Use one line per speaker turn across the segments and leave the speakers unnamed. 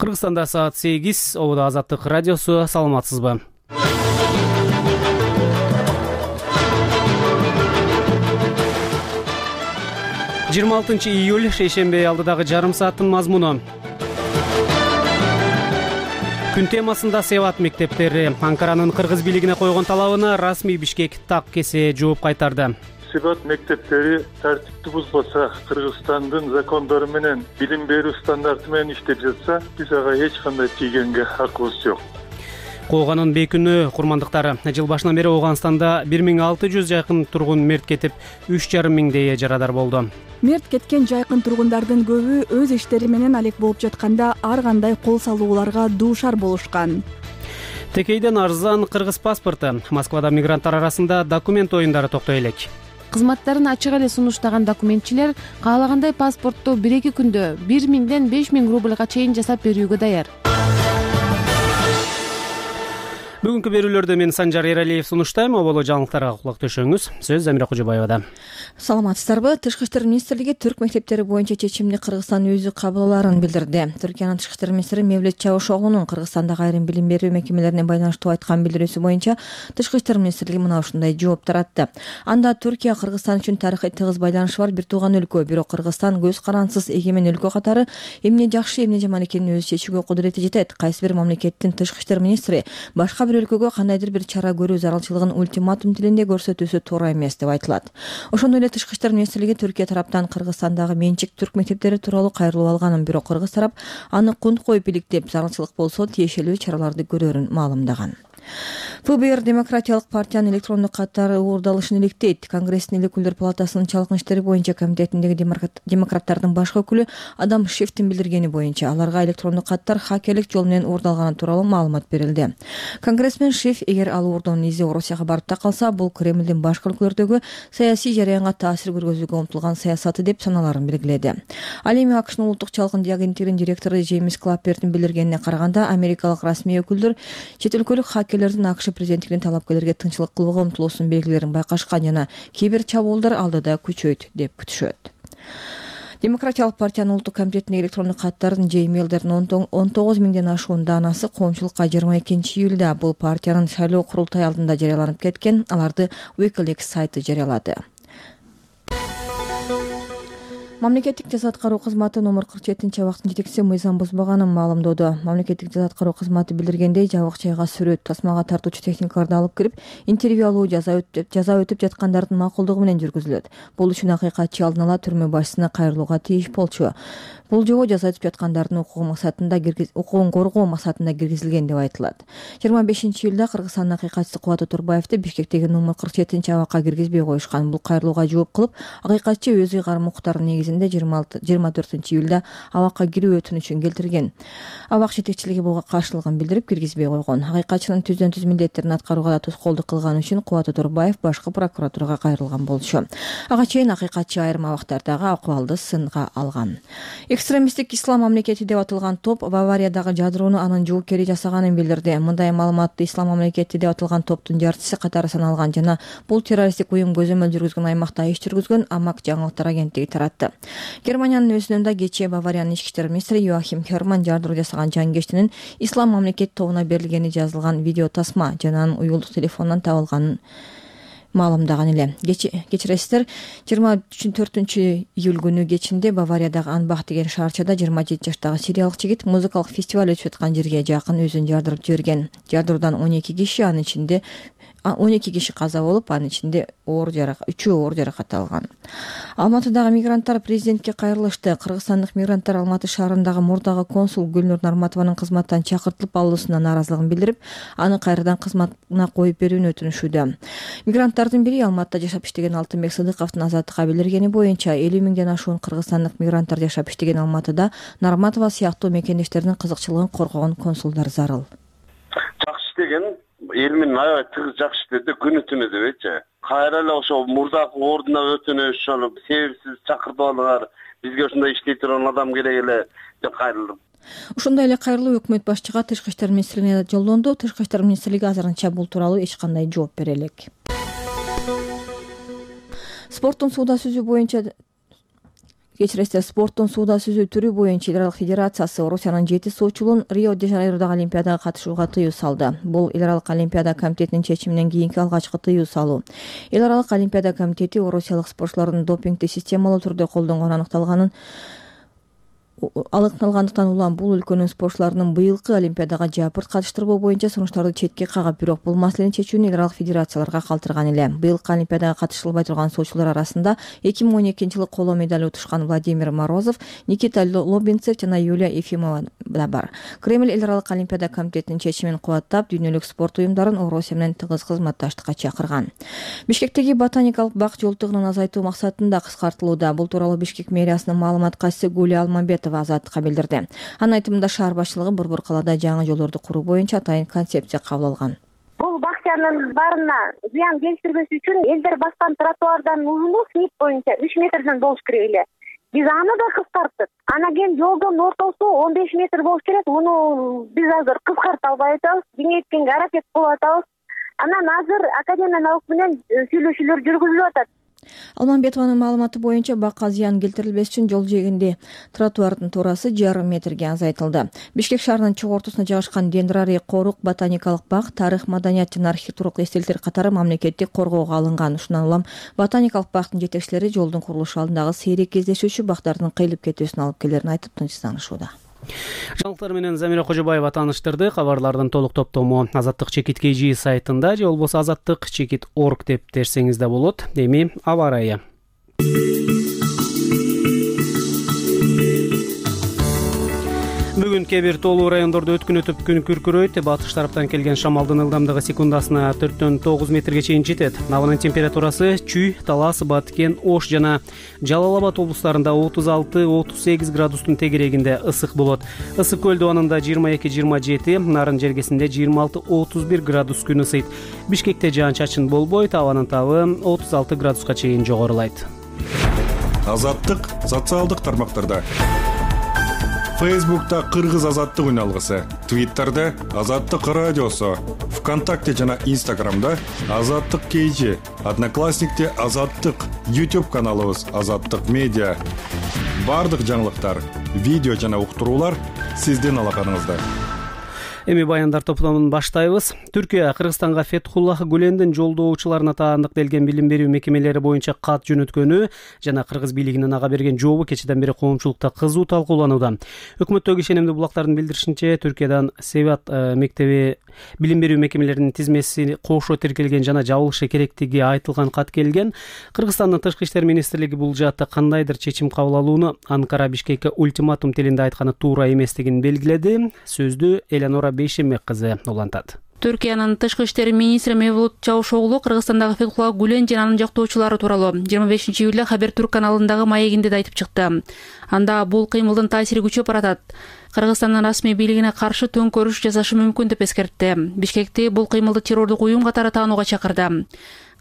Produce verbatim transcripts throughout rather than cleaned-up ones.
Кыргызстанда саат сегиз, Ободо Азаттык радиосу, саламатсызбы? жыйырма алтынчы июль, шейшемби алдыдагы жарым сааттын мазмуну. Күн темасында Севат мектептери Анкаранын кыргыз бийлигине койгон талабына расмий Бишкек так кесе жооп кайтарды.
Севат мектептери тартипти бузбаса, Кыргызстандын закондору менен билим берүү стандарты менен иштеп жатса, биз ага эч кандай тийгенге акыбыз жок.
Кууганын бейкүнү курмандыктары. Жыл башынан бери Ооганстанда бир миң алты жүз жакын тургун мерт кетип, үч жарым миңдей жарадар болду.
Мерт кеткен жайкын тургундардын көбү өз иштери менен алек болуп жатканда ар кандай кол салууларга дуушар болушкан.
Текейден арзан кыргыз паспорту. Москвада мигранттар арасында документ оюндары токтой элек.
Кызматтарын ачык эле сунуштаган документчилер каалагандай паспортту бир эки күндө бир миңден беш миң рубльга чейин жасап берүүгө даяр.
Бүгүнкү берүүлөрдө мен Санжар Эралиев сунуштайм. Оболо жаңылыктарга кулак төшөңүз. Сөз Замира Кожобаевада.
Саламатсыздарбы? Тышкы иштер министрлиги түрк мектептери боюнча чечимди Кыргызстан өзү кабыл аларын билдирди. Түркиянын тышкы иштер министри Мевлет Чавушоглунун Кыргызстандагы айрым билим берүү мекемелерине байланыштуу айткан билдирүүсү боюнча тышкы иштер министрлиги мына ушундай жооп таратты. Анда Түркия Кыргызстан үчүн тарыхый тыгыз байланышы бар бир тууган өлкө, бирок Кыргызстан көз карансыз эгемен өлкө катары эмне жакшы, эмне жаман экенин өзү чечүүгө кудурети жетет. Кайсы бир мамлекеттин тышкы иштер министри башка бир өлкөгө кандайдыр бир чара көрүү зарылчылыгын ультиматум тилинде көрсөтүүсү туура эмес деп айтылат. Ошондой эле тышкы иштер министрлиги Түркия тараптан Кыргызстандагы менчик түрк мектептери тууралуу кайрылуу алганын, бирок Кыргыз тарап аны кунт коюп иликтеп, зарылчылык болсо тиешелүү чараларды көрөрүн маалымдаган. ФБР Демократиялык партиянын электрондук каттары уурдалышын иликтейт. Конгресстин эл өкүлдөр палатасынын чалкын иштери боюнча комитетиндеги демократтардын баш өкүлү Адам Шифтин билдиргени боюнча аларга электрондук каттар хакерлик жол менен уурдалганы тууралуу маалымат берилди. Конгрессмен Шиф, эгер ал уурдоонун изи Орусияга барып такалса, бул Кремлдин башка өлкөлөрдөгү саясий жараянга таасир көргөзүүгө умтулган саясаты деп саналарын белгиледи. Ал эми АКШнын улуттук чалкын агенттигинин директору Джеймс Клаппердин билдиргенине караганда, америкалык расмий өкүлдөр чет өлкөлүк хакерлердин АКШ президенттигинин талапкерлерге тынччылык кылууга умтулуусунун белгилерин байкашкан жана кибер чабуулдар алдыда күчөйт деп күтүшөт. Демократиялык партиянын улуттук комитетиндеги электрондук каттардын же имейлдердин он тогуз миңден ашуун даанасы коомчулукка жыйырма экинчи июлда бул партиянын шайлоо курултай алдында жарыяланып кеткен. Аларды Wikileaks сайты жарыялады. Мамлекеттик жаза аткаруу кызматы номер кырк жетинчи абактын жетекчиси мыйзам бузбаганын маалымдоодо. Мамлекеттик жаза аткаруу кызматы билдиргендей, жабык жайга сүрөт, тасмага тартуучу техникаларды алып кирип, интервью алуу жаза өтүп жаза өтүп жаткандардын макулдугу менен жүргүзүлөт. Бул үчүн акыйкатчы алдын ала түрмө башчысына кайрылууга тийиш болчу. Бул жобо жаза өтүп жаткандардын укугу максатында укугун коргоо максатында киргизилген деп айтылат. жыйырма бешинчи июлда Кыргызстандын акыйкатчысы Кубат Отурбаевди Бишкектеги номер кырк жетинчи абакка киргизбей коюшкан. Бул кайрылууга жооп кылып, акыйкатчы өз ыйгарым укуктарынын негизинде жыйырма төртүнчү июлда абакка кирүү өтүнүчүн келтирген. Абак жетекчилиги буга каршылыгын билдирип киргизбей койгон. Акыйкатчынын түздөн түз милдеттерин аткарууга да тоскоолдук кылганы үчүн Кубат Отурбаев башкы прокуратурага кайрылган болчу. Ага чейин акыйкатчы айрым абактардагы акыбалды сынга алган. Экстремисттик ислам мамлекети деп аталган топ Бавариядагы жадыроону анын жоопкери жасаганын билдирди. Мындай маалыматты ислам мамлекети деп аталган топтун жарчысы катары саналган жана бул террористтик уюм көзөмөл жүргүзгөн аймакта иш жүргүзгөн Амак жаңылыктар агенттиги таратты. Германиянын өзүнүндө кечээ Бавариянын ички иштер министри Йоахим Херман жардыруу жасаган жангештинин ислам мамлекет тобуна берилгени жазылган видео тасма жана анын уюлдук телефонунан табылганын маалымдаган эле. Кечиресиздер, жыйырма төртүнчү июль күнү кечинде Бавариядагы Анбах деген шаарчада жыйырма жети жаштагы сириялык жигит музыкалык фестиваль өтүп жаткан жерге жакын өзүн жардырып жиберген. Жардыруудан он эки киши, анын ичинде он эки киши каза болуп, анын ичинде оор жаракат, үчөө оор жаракат алган. Алматыдагы мигранттар президентке кайрылышты. Кыргызстандык мигранттар Алматы шаарындагы мурдагы консул Гүлнур Нарматованын кызматтан чакыртылып алуусуна нааразылыгын билдирип, аны кайрадан кызматына коюп берүүнү өтүнүшүүдө. Мигранттардын бири Алматыда жашап иштеген Алтынбек Сыдыковдун Азаттыкка билдиргени боюнча элүү миңден ашуун кыргызстандык мигранттар жашап иштеген Алматыда Нарматова сыяктуу мекендештеринин кызыкчылыгын коргогон консулдар зарыл.
Жакшы иштеген эл менен аябай тыгыз жакшы иштеди, күнү түнү дебейчи. Кайра эле ошо мурдагы ордуна өтүнүш, ошол себепсиз чакыртып алгандар, бизге ушундай иштей турган адам керек эле деп кайрылдым.
Ошондой эле кайрылуу өкмөт башчыга Тышкы иштер министрлигине жолдонду. Тышкы иштер министрлиги азырынча бул тууралуу эч кандай жооп бере элек. Спорттун сууда сүзүү боюнча Кечиресиздер, спорттун сууда сүзүү түрү боюнча эл аралык федерациясы Орусиянын жети суучулун Рио-де-Жанейродогу Олимпиадага катышууга тыюу салды. Бул эл аралык Олимпиада комитетинин чечиминен кийинки алгачкы тыюу салуу. Эл аралык Олимпиада комитети орусиялык спортчулардын допингди системалуу түрдө колдонгону аныкталганын аныкталгандыктан улам бул өлкөнүн спортчуларынын быйылкы Олимпиадага жапырт катыштырбоо боюнча сунуштарды четке кагып, бирок бул маселени чечүүнү эл аралык федерацияларга калтырган эле. Быйылкы Олимпиадага катышылбай турган суучулар арасында эки миң он экинчи жылы коло медаль утушкан Владимир Морозов, Никита Лобинцев жана Юлия Ефимова да бар. Кремль эл аралык Олимпиада комитетинин чечимин кубаттап, дүйнөлүк спорт уюмдарын Орусия менен тыгыз кызматташтыкка чакырган. Бишкектеги ботаникалык бак жолтугунун азайтуу максатында кыскартылууда. Бул тууралуу Бишкек мэриясынын маалымат катчысы Гулия Алмамбетова Азаттыкка билдирди. Анын айтымында шаар башчылыгы борбор калаада жаңы жолдорду куруу боюнча атайын концепция кабыл алган.
Бул бакчанын баарына зыян келтирбеш үчүн элдер баскан тротуардын узуну снит боюнча үч метрден болуш керек эле. Биз аны да кыскарттык. Анан кийин жолдун ортосу он беш метр болуш керек. Муну биз азыр кыскарта албай атабыз, кеңейткенге аракет кылып атабыз. Анан азыр академиянын алык менен сүйлөшүүлөр жүргүзүлүп атат.
Алмамбетованын маалыматы боюнча бакка зыян келтирилбеш үчүн жол жээгинде тротуардын туурасы жарым метрге азайтылды. Бишкек шаарынын чыгуу ортосуна жайгашкан Дендрарий корук ботаникалык бак тарых, маданият жана архитектуралык эстеликтер катары мамлекеттик коргоого алынган. Ушундан улам ботаникалык бактын жетекчилери жолдун курулушу алдындагы сейрек кездешүүчү бактардын кыйылып кетүүсүн алып келерин айтып тынчсызданышууда.
Жаңылыктар менен Замира Кожобаева тааныштырды. Кабарлардын толук топтому Азаттык чекит кей жи сайтында же болбосо азаттык чекит точка орг деп терсеңиз да болот. Эми аба ырайы. Бүгүн кээ бир тоолуу райондордо өткүн өтүп күн күркүрөйт. Батыш тараптан келген шамалдын ылдамдыгы секундасына төрттөн тогуз метрге чейин жетет. Абанын температурасы Чүй, Талас, Баткен, Ош жана Жалал Абад облустарында отуз алты отуз сегиз градустун тегерегинде ысык болот. Ысык көл дубанында жыйырма эки жыйырма жети, Нарын жергесинде жыйырма алты отуз бир градус күн ысыйт. Бишкекте жаан-чачын болбойт, абанын табы отуз алты градуска чейин жогорулайт.
Азаттык социалдык тармактарда. Фейсбукта Кыргыз азаттык үн алгысы, Твиттерде Азаттык радиосу, ВКонтакте жана Инстаграмда Азаттык кей жи, Одноклассникте Азаттык, YouTube каналыбыз Азаттык медиа. Бардык жаңылыктар, видео жана уктуруулар сиздин алаканыңызда. Эми баяндар топтомун баштайбыз. Түркия Кыргызстанга Фетхуллах Гүлендин жолдоочуларына таандыкталган билим берүү мекемелери боюнча кат жөнөткөнү жана кыргыз бийлигинин ага берген жообу кечеден бери коомчулукта кызуу талкууланууда. Өкмөттөгү ишенимдүү булактардын билдиришинче, Түркиядан Севат мектеби билим берүү мекемелеринин тизмеси кошо тиркелген жана жабылышы керектиги айтылган кат келген. Кыргызстандын Тышкы иштер министрлиги бул жаатта кандайдыр чечим кабыл алууну Анкара Бишкекке ультиматум тилинде айтканы туура эместигин белгиледи. Сөздү Элеонора Бейшембек кызы улантат.
Түркиянын Тышкы иштер министри Мевлут Чавушоглу Кыргызстандагы Фетхуллах Гүлен жана анын жактоочулары тууралуу жыйырма бешинчи июлда Хабер Түрк каналындагы маегинде да айтып чыкты. Анда бул кыймылдын таасири күчөп баратат. Кыргызстандын расмий бийлигине каршы төңкөрүш жасашы мүмкүн деп эскертти. Бишкекти бул кыймылды террордук уюм катары таанууга чакырды.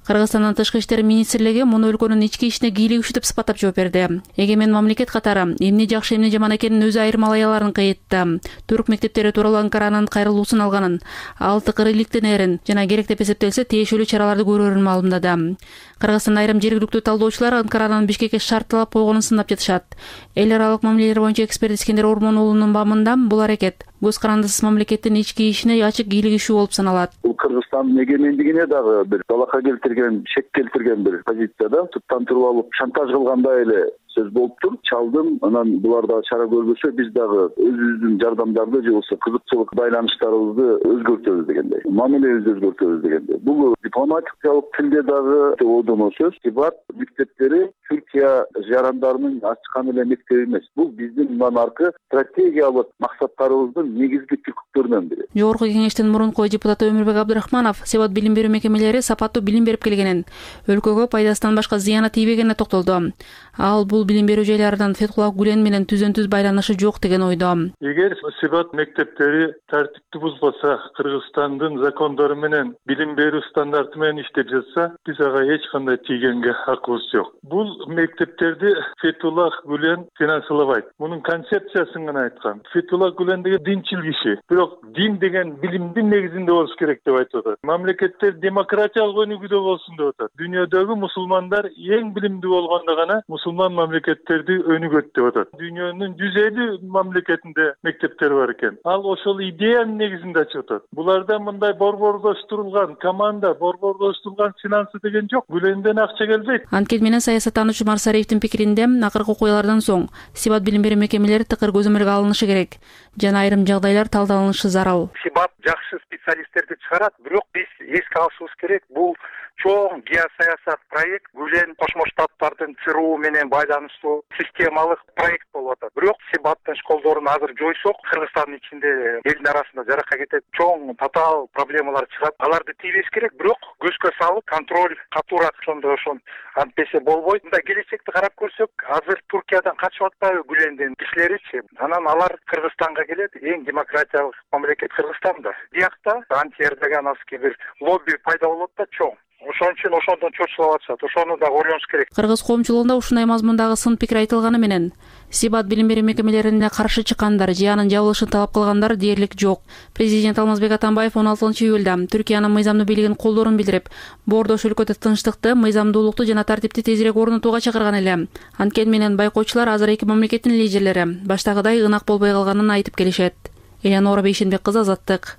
Кыргызстандын Тышкы иштер министрлиги муну өлкөнүн ички ишине кийлигишүү деп сыпаттап жооп берди. Эгемен мамлекет катары эмне жакшы эмне жаман экенин өзү айырмалай кыйытты. Түрк мектептери тууралуу Анкаранын кайрылуусун алганын, ал тыкыр иликтенерин жана керек деп эсептелсе тиешелүү чараларды көрөрүн маалымдады. Кыргызстан айрым жергиликтүү талдоочулар Анкаранын Бишкекке шартталап койгонун сынап жатышат. Эл аралык мамилелер боюнча эксперт Искендер Ормон уулунун бамында бул аракет көз карандысыз мамлекеттин ички ишине ачык кийлигишүү болуп саналат.
Бул Кыргызстандын эгемендигине дагы бир талакка келтирген, шек келтирген бир позицияда туттантырып алып, шантаж кылгандай эле сөз болуптур. Чалдым, анан булар дагы чара көрбөсө, биз дагы өзүбүздүн жардамдарды же болбосо кызыкчылык байланыштарыбызды өзгөртөбүз дегендей, мамилебизди өзгөртөбүз дегендей. Бул дипломатикалык тилде дагы оодоно сөз. Тибат мектептери Түркия жарандарынын ачкан эле мектеби эмес. Бул биздин мындан аркы стратегиялык максаттарыбыздын негизги түпкүлөрүнөн бири.
Жогорку кеңештин мурунку депутаты Өмүрбек Абдрахманов Севат билим берүү мекемелери сапаттуу билим берип келгенин, өлкөгө пайдасынан башка зыяны тийбегенине токтолду. Ал бул билим берүү жайларынан Фетхуллах Гүлен менен түзөн-түз байланышы жок деген ойдо.
Эгер Севат мектептери тартипти бузбаса, Кыргызстандын закондору менен билим берүү стандарты менен иштеп жатса, биз ага эч кандай тийгенге акыбыз жок. Бул мектептерди Фетуллах Гүлен финансылабайт. Мунун концепциясын гана айткан. Фетуллах Гүлен деген динчил киши. Бирок дин деген билимдин негизинде болуш керек деп айтып атат. Мамлекеттер демократиялык өнүгүүдө болсун деп атат. Дүйнөдөгү мусулмандар эң билимдүү болгондо гана мусулман мамлекеттерди өнүгөт деп атат. Дүйнөнүн жүз элүү мамлекетинде мектептер бар экен. Ал ошол идеянын негизинде ачып атат. Буларда мындай борбордоштурулган команда, борбордоштурулган финансы деген жок. Гүленден акча келбейт.
Анткени менен саясаттануучу Марсариевдин пикиринде акыркы окуялардан соң Сибат билим берүү мекемелери тыкыр көзөмөлгө алынышы керек жана айрым жагдайлар талдалынышы зарыл.
Сибат жакшы специалисттерди чыгарат, бирок биз эске алышыбыз керек, бул чоң геосаясат проект, Гүлен Кошмо Штаттардын ЦРУ менен байланыштуу системалык проект болуп атат. Бирок Сибаттын школдорун азыр жойсок, Кыргызстандын ичинде элдин арасында жаракка кетет, чоң татаал проблемалар чыгат. Аларды тийбеш керек, бирок көзгө салып, контроль катуураак ошондо ошон антпесе болбойт. Мындай келечекти карап көрсөк, азыр Туркиядан качып атпайбы Гүлендин кишилеричи? Анан алар Кыргызстанга келет, эң демократиялык мамлекет Кыргызстанда. Биякта анти-эрдогановский бир лобби пайда болот да чоң. Ошон үчүн ошондон чочулап атышат. Ошону да ойлонуш керек.
Кыргыз коомчулугунда ушундай мазмундагы сын пикир айтылганы менен Сибат билим берүү мекемелерине каршы чыккандар же анын жабылышын талап кылгандар дээрлик жок. Президент Алмазбек Атамбаев он алтынчы июлда Түркиянын мыйзамдуу бийлигин колдоорун билдирип, боордош өлкөдө тынчтыкты, мыйзамдуулукту жана тартипти тезирээк орнотууга чакырган эле. Анткени менен байкоочулар азыр эки мамлекеттин лидерлери баштагыдай ынак болбой калганын айтып келишет. Элеонора Бейшенбек кызы, Азаттык.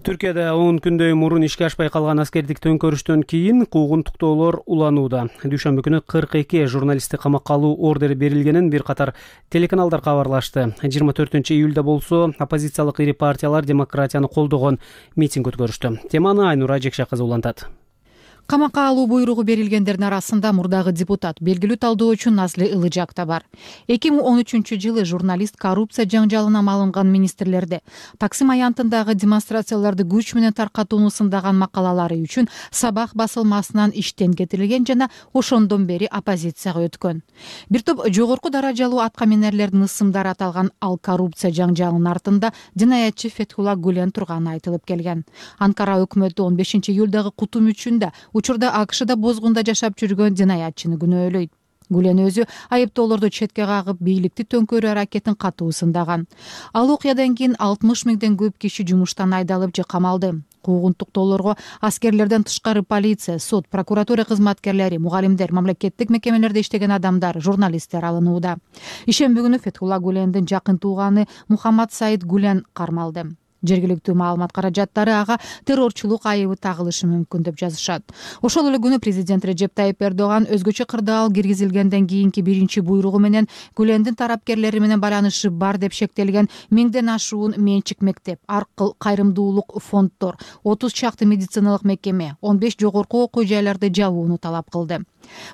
Түркияда он күндөй мурун ишке ашпай калган аскердик төңкөрүштөн кийин куугунтуктоолор уланууда. Дүйшөмбү күнү кырк эки журналистти камакка алуу ордери берилгенин бир катар телеканалдар кабарлашты. жыйырма төртүнчү июлда болсо оппозициялык ири партиялар демократияны колдогон митинг өткөрүштү. Теманы Айнура Жекше кызы улантат.
Камакка алуу буйругу берилгендердин арасында мурдагы депутат, белгилүү талдоочу Назли Ылыжак да бар. эки миң он үчүнчү жылы журналист коррупция жаңжалына малынган министрлерди, Таксим аянтындагы демонстрацияларды күч менен таркатууну сындаган макалалары үчүн Сабах басылмасынан иштен кетирилген жана ошондон бери оппозицияга өткөн. Бир топ жогорку даражалуу аткаминерлердин ысымдары аталган ал коррупция жаңжалынын артында жинаятчы Фетхулла Гүлен турганы айтылып келген. Анкара өкмөтү он бешинчи июлдагы кутум үчүндө учурда АКШда бозгунда жашап жүргөн жинаятчыны күнөөлөйт. Гүлен өзү айыптоолорду четке кагып, бийликти төңкөрүү аракетин катуу сындаган. Ал окуядан кийин алтымыш миңден көп киши жумуштан айдалып же камалды. Куугунтуктоолорго аскерлерден тышкары полиция, сот, прокуратура кызматкерлери, мугалимдер, мамлекеттик мекемелерде иштеген адамдар, журналисттер алынууда. Ишемби күнү Фетхулла Гүлендин жакын тууганы Мухаммад Саид Гүлен кармалды. Жергиликтүү маалымат каражаттары ага террорчулук айыбы тагылышы мүмкүн деп жазышат. Ошол эле күнү президент Режеп Тайип Эрдоган өзгөчө кырдаал киргизилгенден кийинки биринчи буйругу менен Гүлендин тарапкерлери менен байланышы бар деп шектелген миңден ашуун менчик мектеп, аркыл кайрымдуулук фонддор, отуз чакты медициналык мекеме, он беш жогорку окуу жайларды жабууну талап кылды.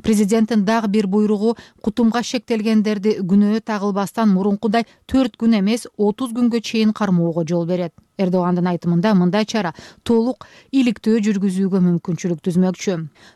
Президенттин дагы бир буйругу кутумга шектелгендерди күнөө тагылбастан мурункудай төрт күн эмес отуз күнгө чейин кармоого жол берет. Эрдогандын айтымында мындай чара толук иликтөө жүргүзүүгө мүмкүнчүлүк түзмөкчү.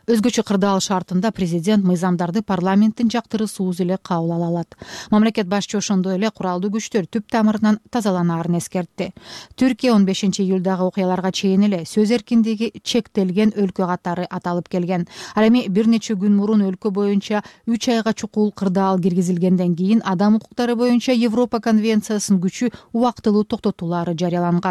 Өзгөчө кырдаал шартында президент мыйзамдарды парламенттин жактырысуусу эле кабыл ала алат. Мамлекет башчы ошондой эле куралдуу күчтөр түп тамырынан тазаланаарын эскертти. Түркия он бешинчи июлдагы окуяларга чейин эле сөз эркиндиги чектелген өлкө катары аталып келген. Ал эми бир нече күн мурун өлкө боюнча үч айга чукул кырдаал киргизилгенден кийин адам укуктары боюнча Европа конвенциясынын күчү убактылуу токтотуулары жарыяланган.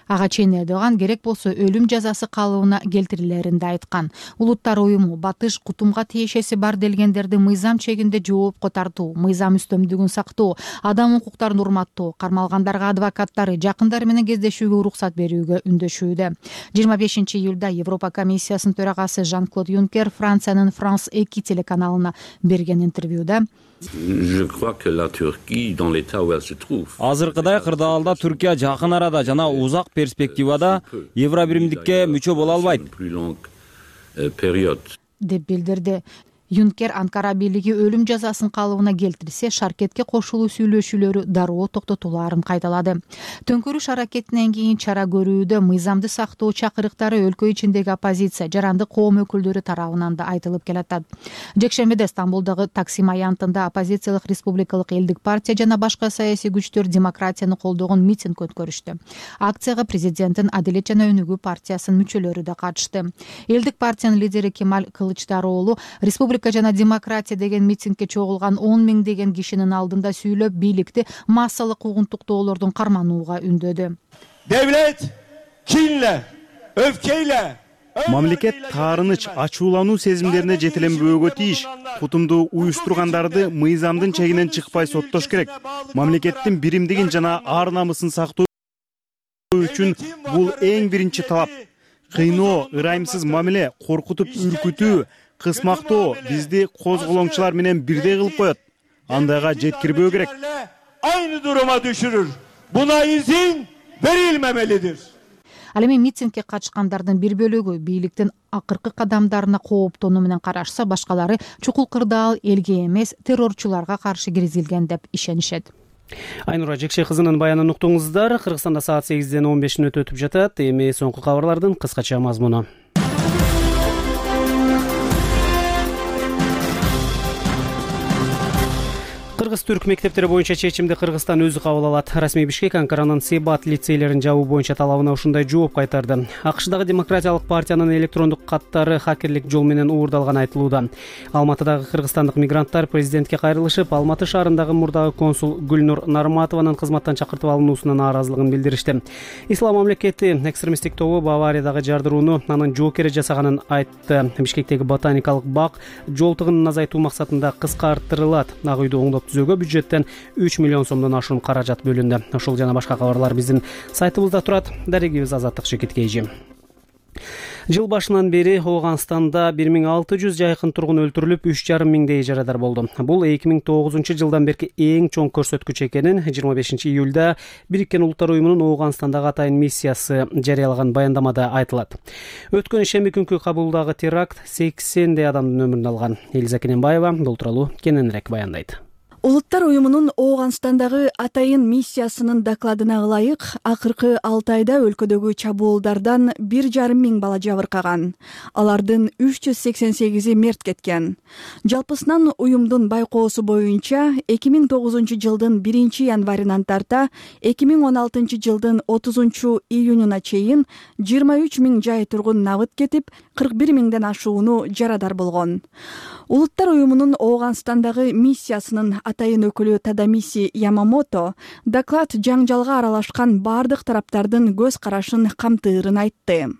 Ага чейин Эрдоган керек болсо өлүм жазасы калыбына келтирилерин да айткан. Улуттар уюму батыш кутумга тиешеси бар делгендерди мыйзам чегинде жоопко тартуу, мыйзам үстөмдүгүн сактоо, адам укуктарын урматтоо, кармалгандарга адвокаттары, жакындары менен кездешүүгө уруксат берүүгө үндөшүүдө. жыйырма бешинчи июлда Европа комиссиясынын төрагасы Жан-Клод Юнкер Франциянын Франс эки телеканалына берген интервьюда
азыркыдай кырдаалда Түркия жакын арада жана узак перспективада Евробиримдикке мүчө боло албайт
деп билдирди. Юнкер Анкара бийлиги өлүм жазасын калыбына келтирсе, шаркетке кошулуу сүйлөшүүлөрү дароо токтотулаарын кайдалады. Төңкөрүш аракетинен кийин чара көрүүдө мыйзамды сактоо чакырыктары өлкө ичиндеги оппозиция, жарандык коом өкүлдөрү тарабынан да айтылып келатат. Жекшембиде Стамбулдагы Таксим аянтында оппозициялык Республикалык элдик партия жана башка саясий күчтөр демократияны колдогон митинг өткөрүштү. Акцияга президенттин Адилет жана Өнүгүү партиясынын мүчөлөрү да катышты. Элдик партиянын лидери Кемаль Кылычдароолу республика жана демократия деген митингге чогулган он миңдеген кишинин алдында сүйлөп, бийликти массалык угунтуктоолордун карманууга үндөдү.
Devlet kinle, öfkeyle
Мамлекет таарыныч, ачуулануу сезимдерине жетеленбөөгө тийиш. Кутумду уюштургандарды мыйзамдын чегинен чыкпай соттош керек. Мамлекеттин биримдигин жана ар намысын сактоо үчүн бул эң биринчи талап. Кыйноо, ырайымсыз мамиле, коркутуп үркүтүү, кысмактоо бизди козголоңчулар менен бирдей кылып коет. Андайга жеткирбөө керек.
Aynı duruma düşürür. Buna izin verilmemelidir.
Ал эми митингге катышкандардын бир бөлүгү бийликтин акыркы кадамдарына кооптонуу менен карашса, башкалары чукул кырдаал элге эмес, террорчуларга каршы киргизилген деп ишенишет.
Айнура Жекше кызынын баянын уктуңуздар. Кыргызстанда саат сегизден он беш мүнөт өтүп жатат. Эми соңку кабарлардын кыскача мазмуну. Кыргыз-түрк мектептери боюнча чечимди Кыргызстан өзү кабыл алат. Расмий Бишкек Анкаранын Себат лицейлерин жабуу боюнча талабына ушундай жооп кайтарды. АКШдагы Демократиялык партиянын электрондук каттары хакерлик жол менен уурдалганы айтылууда. Алматыдагы кыргызстандык мигранттар президентке кайрылышып, Алматы шаарындагы мурдагы консул Гүлнур Нарматованын кызматтан чакыртып алынуусуна нааразылыгын билдиришти. Ислам мамлекети экстремисттик тобу Бавариядагы жардырууну анын жоокери жасаганын айтты. Бишкектеги ботаникалык бак жол тыгынын азайтуу максатында кыскартырылат. Ак үйдү оңдоп түзөөгө бюджеттен үч миллион сомдон ашуун каражат бөлүндү. Ошол жана башка кабарлар биздин сайтыбызда турат. Дарегибиз Азаттык Шекеткейжи. Жыл башынан бери Ооганстанда бир миң алты жүз жайкын тургун өлтүрүлүп, үч жарым миңдей жарадар болду. Бул эки миң тогузунчу жылдан берки эң чоң көрсөткүч экенин жыйырма бешинчи июлда Бириккен Улуттар уюмунун Ооганстандагы атайын миссиясы жарыялаган баяндамада айтылат. Өткөн шемби күнкү Кабулдагы теракт сексендей адамдын өмүрүн алган. Элиза Кененбаева бул тууралуу кененирээк баяндайт.
Улуттар уюмунун Ооганстандагы атайын миссиясынын докладына ылайык, акыркы алты айда өлкөдөгү чабуулдардан бир жарым миң бала жабыркаган. Алардын үч жүз сексен сегизи мерт кеткен. Жалпысынан уюмдун байкоосу боюнча эки миң тогузунчу жылдын биринчи январынан тарта эки миң он алтынчы жылдын отузунчу июнуна чейин жыйырма үч миң жай тургун набыт кетип, кырк бир миңден ашууну жарадар болгон. Улуттар уюмунун Ооганстандагы миссиясынын атайын өкүлү Тадамиси Ямамото доклад жаңжалга аралашкан бардык тараптардын көз карашын камтыырын айтты.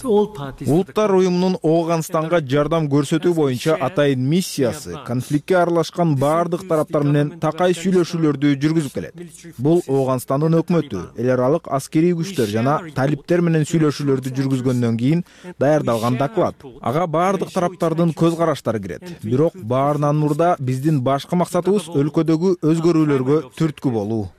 Улуттар уюмунун Ооганстанга жардам көрсөтүү боюнча атайын миссиясы конфликтке аралашкан бардык тараптар менен такай сүйлөшүүлөрдү жүргүзүп келет. Бул Ооганстандын өкмөтү, эл аралык аскерий күчтөр жана талиптер менен сүйлөшүүлөрдү жүргүзгөндөн кийин даярдалган доклад. Ага бардык тараптардын көз караштары кирет. Бирок баарынан мурда биздин башкы максатыбыз өлкөдөгү өзгөрүүлөргө түрткү болуу.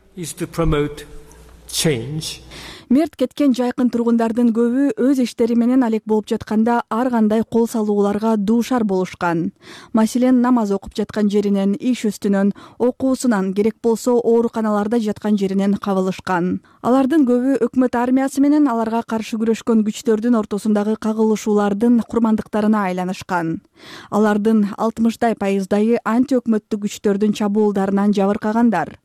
Мерт кеткен жайкын тургундардын көбү өз иштери менен алек болуп жатканда ар кандай кол салууларга дуушар болушкан. Маселен, намаз окуп жаткан жеринен, иш үстүнөн, окуусунан, керек болсо ооруканаларда жаткан жеринен кабылышкан. Алардын көбү өкмөт армиясы менен аларга каршы күрөшкөн күчтөрдүн ортосундагы кагылышуулардын курмандыктарына айланышкан. Алардын алтымыштай пайыздайы антиөкмөттүк күчтөрдүн чабуулдарынан жабыркагандар.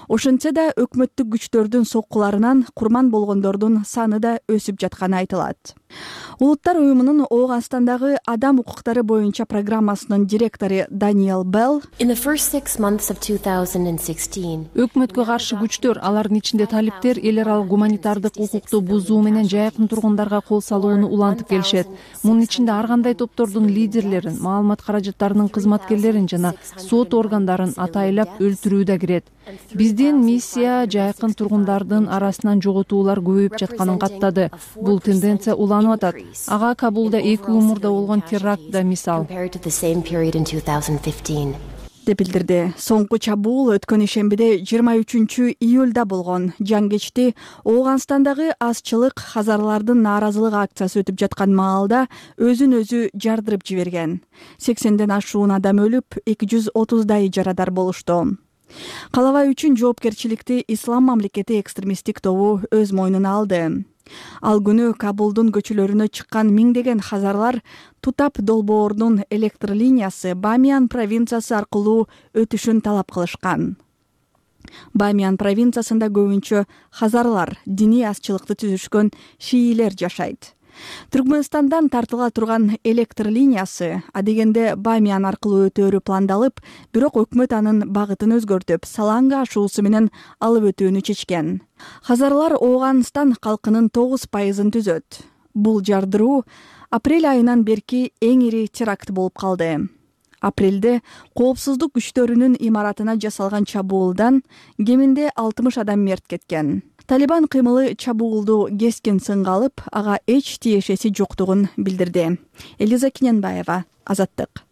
Ошентсе да өкмөттүк күчтөрдүн соккуларынан курман болгондордун саны да өсүп жатканы айтылат. Улуттар уюмунун Ооганстандагы адам укуктары боюнча программасынын директору Даниэл Белл
өкмөткө каршы күчтөр, алардын ичинде талиптер, эл аралык гуманитардык укукту бузуу менен жайкын тургундарга кол салууну улантып келишет. Мунун ичинде ар кандай топтордун лидерлерин, маалымат каражаттарынын кызматкерлерин жана сот органдарын атайлап өлтүрүү да кирет. Биздин миссия жайкын тургундардын арасынан жоготуулар көбөйүп жатканын каттады. Бул тенденция уланып атат. Ага Кабулда эки жыл мурда болгон теракт да мисал.
деп билдирди. Соңку чабуул өткөн ишембиде жыйырма үчүнчү июлда болгон. Жан кечти Ооганстандагы азчылык хазарлардын нааразылык акциясы өтүп жаткан маалда өзүн өзү жардырып жиберген. сексенден ашуун адам өлүп, эки жүз отуздай жарадар болушту. Калабай үчүн жоопкерчиликти Ислам мамлекети экстремисттик тобу өз мойнуна алды. Ал күнү Кабулдун көчөлөрүнө чыккан миңдеген хазарлар Тутап долбоорунун электр линиясы Бамиян провинциясы аркылуу өтүшүн талап кылышкан. Бамиян провинциясында көбүнчө хазарлар, диний азчылыкты түзүшкөн шиилер жашайт. Түркмөнстандан тартыла турган электр линиясы адегенде Бамиян аркылуу өтөөрү пландалып, бирок өкмөт анын багытын өзгөртүп, Саланга ашуусу менен алып өтүүнү чечкен. Хазарлар Ооганстан калкынын тогуз пайызын түзөт. Бул жардыруу апрель айынан берки эң ири теракт болуп калды. Апрелде коопсуздук күчтөрүнүн имаратына жасалган чабуулдан кеминде алтымыш адам мерт кеткен. Талибан кыймылы чабуулду кескин сынга алып, ага эч тиешеси жоктугун билдирди. Элиза Кененбаева, Азаттык.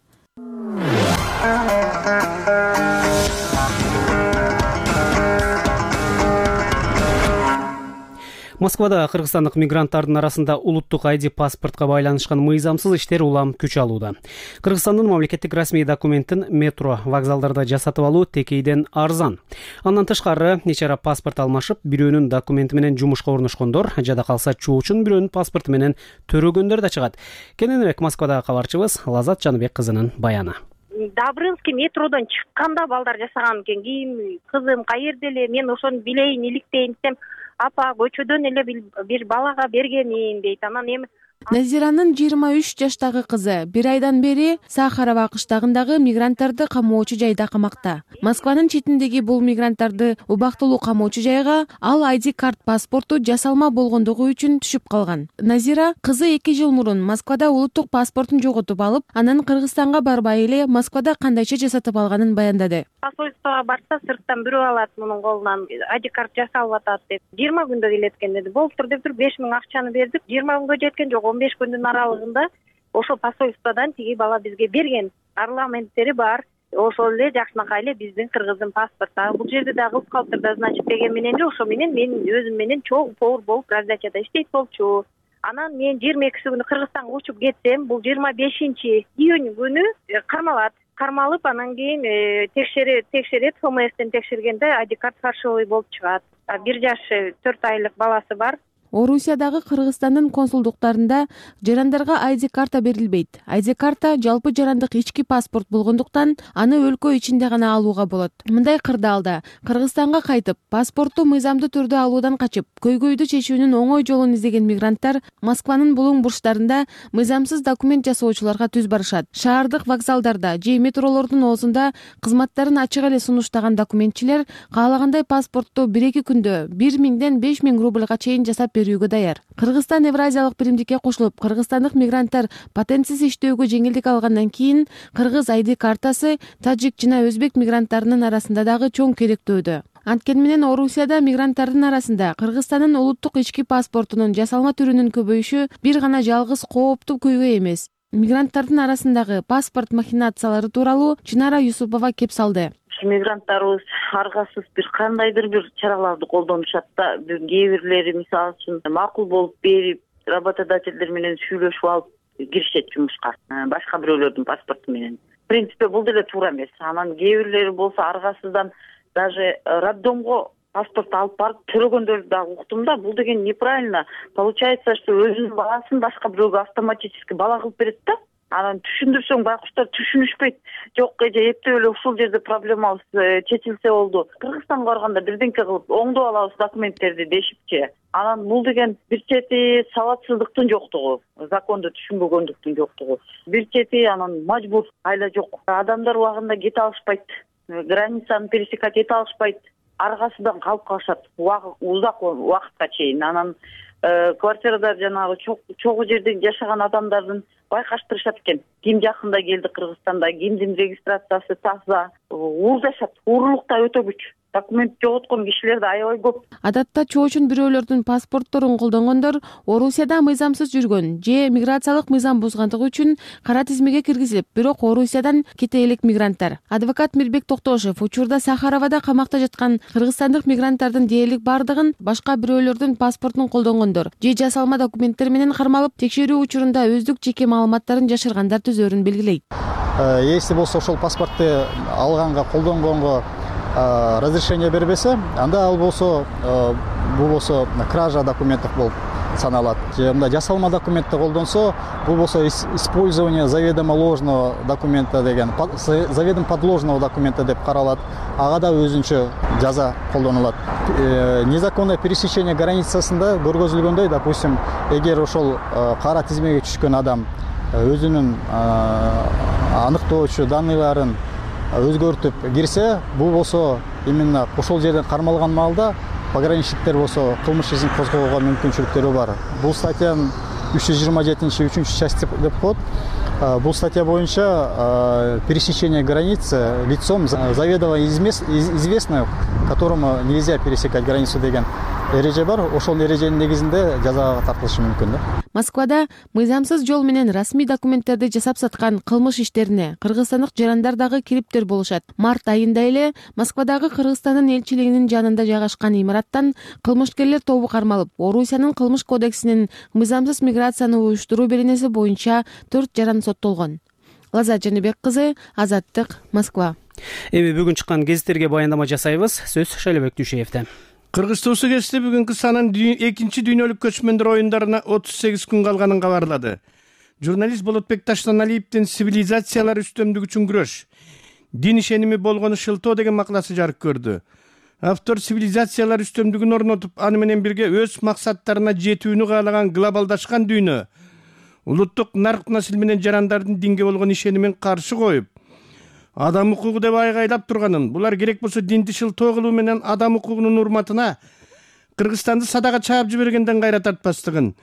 Москвада кыргызстандык мигранттардын арасында улуттук ай ди паспортко байланышкан мыйзамсыз иштер улам күч алууда. Кыргызстандын мамлекеттик расмий документин метро, вокзалдарда жасатып алуу текейден арзан. Андан тышкары нече ара паспорт алмашып, бирөөнүн документи менен жумушка орношкондор, жада калса чоочун бирөөнүн паспорту менен төрөгөндөр да чыгат. Кененирээк Москвадагы кабарчыбыз Лазат Жаныбек кызынын баяны.
Добрынский метродон чыкканда балдар жасаган экен. Кийин кызым каерде эле, мен ошону билейин, иликтейин десем, апа көчөдөн эле бир балага бергенмин дейт. Анан эми
Назиранын жыйырма үч жаштагы кызы бир айдан бери Сахарова кыштагындагы мигранттарды камоочу жайда камакта. Москванын четиндеги бул мигранттарды убактылуу камоочу жайга ал ай ди карт паспорту жасалма болгондугу үчүн түшүп калган. Назира кызы эки жыл мурун Москвада улуттук паспортун жоготуп алып, анан Кыргызстанга барбай эле Москвада кандайча жасатып алганын баяндады.
Посольствого барса, сырттан бирөө алат мунун колунан ай ди карт жасалып атат деп. жыйырма күндө келет экен деди. Болуптур деп туруп беш миң акчаны бердик. жыйырма күнгө жеткен жок. он беш күндүн аралыгында ошол посольстводан тиги бала бизге берген. Парламенттери бар. Ошол эле жакшынакай эле биздин кыргыздын паспорту. Бул жерде да кылып калыптыр да, значит, деген менен эле ошо менен мен өзүм менен чоң повар болуп раздачада иштейт болчу. Анан мен жыйырма экиси күнү Кыргызстанга учуп кетсем, бул жыйырма бешинчи июнь күнү кармалат. Кармалып, анан кийин текшерет, текшерет, эф эм эстен текшергенде ай ди карт фальшивый болуп чыгат. бир жаш төрт айлык баласы бар.
Орусиядагы Кыргызстандын консулдуктарында жарандарга ай ди карта берилбейт. ай ди карта жалпы жарандык ички паспорт болгондуктан аны өлкө ичинде гана алууга болот. Мындай кырдаалда Кыргызстанга кайтып, паспортту мыйзамдуу түрдө алуудан качып, көйгөйдү чечүүнүн оңой жолун издеген мигранттар Москванын булуң бурчтарында мыйзамсыз документ жасоочуларга түз барышат. Шаардык вокзалдарда же метролордун оозунда кызматтарын ачык эле сунуштаган документчилер каалагандай паспортту бир эки күндө бир миңден беш миң рубльга чейин жасап берүүгө даяр. Кыргызстан Евразиялык биримдикке кошулуп, кыргызстандык мигранттар патентсиз иштөөгө жеңилдик алгандан кийин кыргыз ай ди картасы тажик жана өзбек мигранттарынын арасында дагы чоң керектөөдө. Анткени менен Орусияда мигранттардын арасында Кыргызстандын улуттук ички паспортунун жасалма түрүнүн көбөйүшү бир гана жалгыз кооптуу көйгөй эмес. Мигранттардын арасындагы паспорт махинациялары тууралуу Чынара Юсупова кеп салды.
Мигранттарыбыз аргасыз бир кандайдыр бир чараларды колдонушат да, кээ бирлери мисалы үчүн макул болуп берип, работодательдер менен сүйлөшүп алып киришет жумушка, башка бирөөлөрдүн паспорту менен. В принципе, бул деле туура эмес. Анан кээ бирлери болсо аргасыздан даже роддомго паспорт алып барып төрөгөндөрдү дагы уктум да. Бул деген неправильно. Получается, что өзүнүн баласын башка бирөөгө автоматически бала кылып берет да. Анан түшүндүрсөң байкуштар түшүнүшпөйт. Жок, эже эптеп эле ушул жерде проблемабыз чечилсе болду. Кыргызстанга барганда бирденке кылып оңдоп алабыз документтерди дешипчи. Анан бул деген бир чети сабатсыздыктын жоктугу, законду түшүнбөгөндүктүн жоктугу. Бир чети анан мажбур, айла жок. Адамдар убагында кете алышпайт. Границаны пересекать эте алышпайт. Аргасыдан калып калышат узак убакытка чейин. Анан квартирада жанагы чогуу жерде жашаган адамдардын байкаштырышат экен. Ким жакында келди Кыргызстанда, кимдин регистрациясы таза, уурдашат. Уурулук да өтө күч. документ жоготкон кишилер да аябай көп.
Адатта чоочун бирөөлөрдүн паспортторун колдонгондор Орусияда мыйзамсыз жүргөн же миграциялык мыйзам бузгандыгы үчүн кара тизмеге киргизилип, бирок Орусиядан кете элек мигранттар. Адвокат Мирбек Токтошев учурда Сахаровада камакта жаткан кыргызстандык мигранттардын дээрлик бардыгын башка бирөөлөрдүн паспортун колдонгондор же жасалма документтер менен кармалып, текшерүү учурунда өздүк жеке маалыматтарын жашыргандар түзөрүн белгилейт.
Если болсо ошол паспортты алганга, колдонгонго разрешение бербесе, анда ал болсо бул болсо кража документов болуп саналат. Же мындай жасалма документти колдонсо, бул болсо использование заведомо ложного документа деген, заведомо подложного документа деп каралат. Ага да өзүнчө жаза колдонулат. Незаконное пересечение границасында көргөзүлгөндөй, допустим, эгер ошол кара тизмеге түшкөн адам өзүнүн аныктоочу данныйларын өзгөртүп кирсе, бул болсо именно ошол жерден кармалган маалда пограничниктер болсо кылмыш ишин козгоого мүмкүнчүлүктөрү бар. Бул статьянын үч жүз жыйырма жетинчи үчүнчү части деп коет. Бул статья боюнча пересечение границы лицом заведомо известно, которому нельзя пересекать границу деген эреже бар. Ошол эреженин негизинде жазага тартылышы мүмкүн да.
Москвада мыйзамсыз жол менен расмий документтерди жасап саткан кылмыш иштерине кыргызстандык жарандар дагы кириптер болушат. Март айында эле Москвадагы Кыргызстандын элчилигинин жанында жайгашкан имараттан кылмышкерлер тобу кармалып, Орусиянын кылмыш кодексинин мыйзамсыз миграцияны уюштуруу беренеси боюнча төрт жаран соттолгон. Лаза Жаныбек кызы, Азаттык, Москва.
Эми бүгүн чыккан гезиттерге баяндама жасайбыз. Сөз Шайлебек Дүйшеевде.
Кыргыз Туусу гезити бүгүнкү санын экинчи дүйнөлүк көчмөндөр оюндарына отуз сегиз күн калганын кабарлады. Журналист Болотбек Таштаналиевдин «Цивилизациялар үстөмдүгү үчүн күрөш. Дин ишеними болгону шылтоо» деген макаласы жарык көрдү. Автор цивилизациялар үстөмдүгүн орнотуп, аны менен бирге өз максаттарына жетүүнү каалаган глобалдашкан дүйнө, улуттук нарк насил менен жарандардын динге болгон ишенимин каршы коюп, адам укугу деп айгайлап турганын, булар керек болсо динди шылтоо кылуу менен адам укугунун урматына Кыргызстанды садага чаап жибергенден кайра тартпастыгын,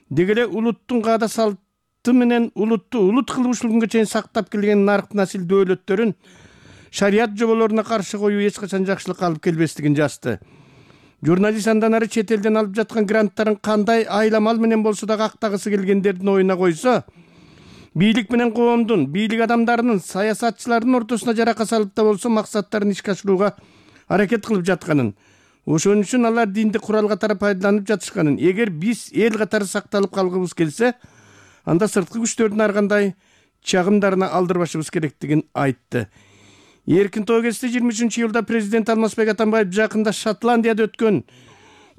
деги эле улуттун каада салты менен улутту улут кылып ушул күнгө чейин сактап келген нарк насил дөөлөттөрүн шарият жоболоруна каршы коюу эч качан жакшылыкка алып келбестигин жазды. Журналист андан ары чет элден алып жаткан гранттарын кандай айламал менен болсо да актагысы келгендердин оюна койсо, бийлик менен коомдун, бийлик адамдарынын, саясатчылардын ортосуна жарака салып да болсо максаттарын ишке ашырууга аракет кылып жатканын, ошон үчүн алар динди курал катары пайдаланып жатышканын, эгер биз эл катары сакталып калгыбыз келсе, анда сырткы күчтөрдүн ар кандай чагымдарына алдырбашыбыз керектигин айтты. Эркин тоо гезити жыйырма үчүнчү июлда президент Алмазбек Атамбаев жакында Шотландияда өткөн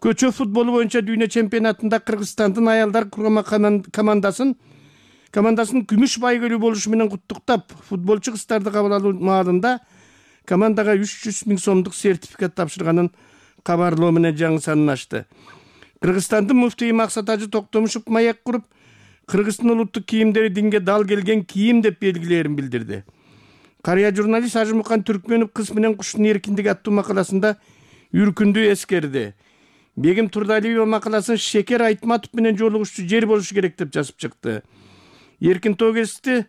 көчө футболу боюнча дүйнө чемпионатында Кыргызстандын аялдар кургама командасын командасын күмүш байгөлүү болушу менен куттуктап, футболчу кыздарды кабыл алуу маалында командага үч жүз миң сомдук сертификат тапшырганын кабарлоо менен жаңы санын ачты. Кыргызстандын муфтийи Максат Ажы Токтомушев маек куруп, Кыргыздын улуттук кийимдери динге дал келген кийим деп белгилерин билдирди. Карыя журналист Ажымукан Түркмөнов «Кыз менен куштун эркиндиги» аттуу макаласында үркүндү эскерди. Бегим Турдалиева макаласын Шекер Айтматов менен жолугушчу жер болушу керек деп жазып чыкты. Эркин тоо гезити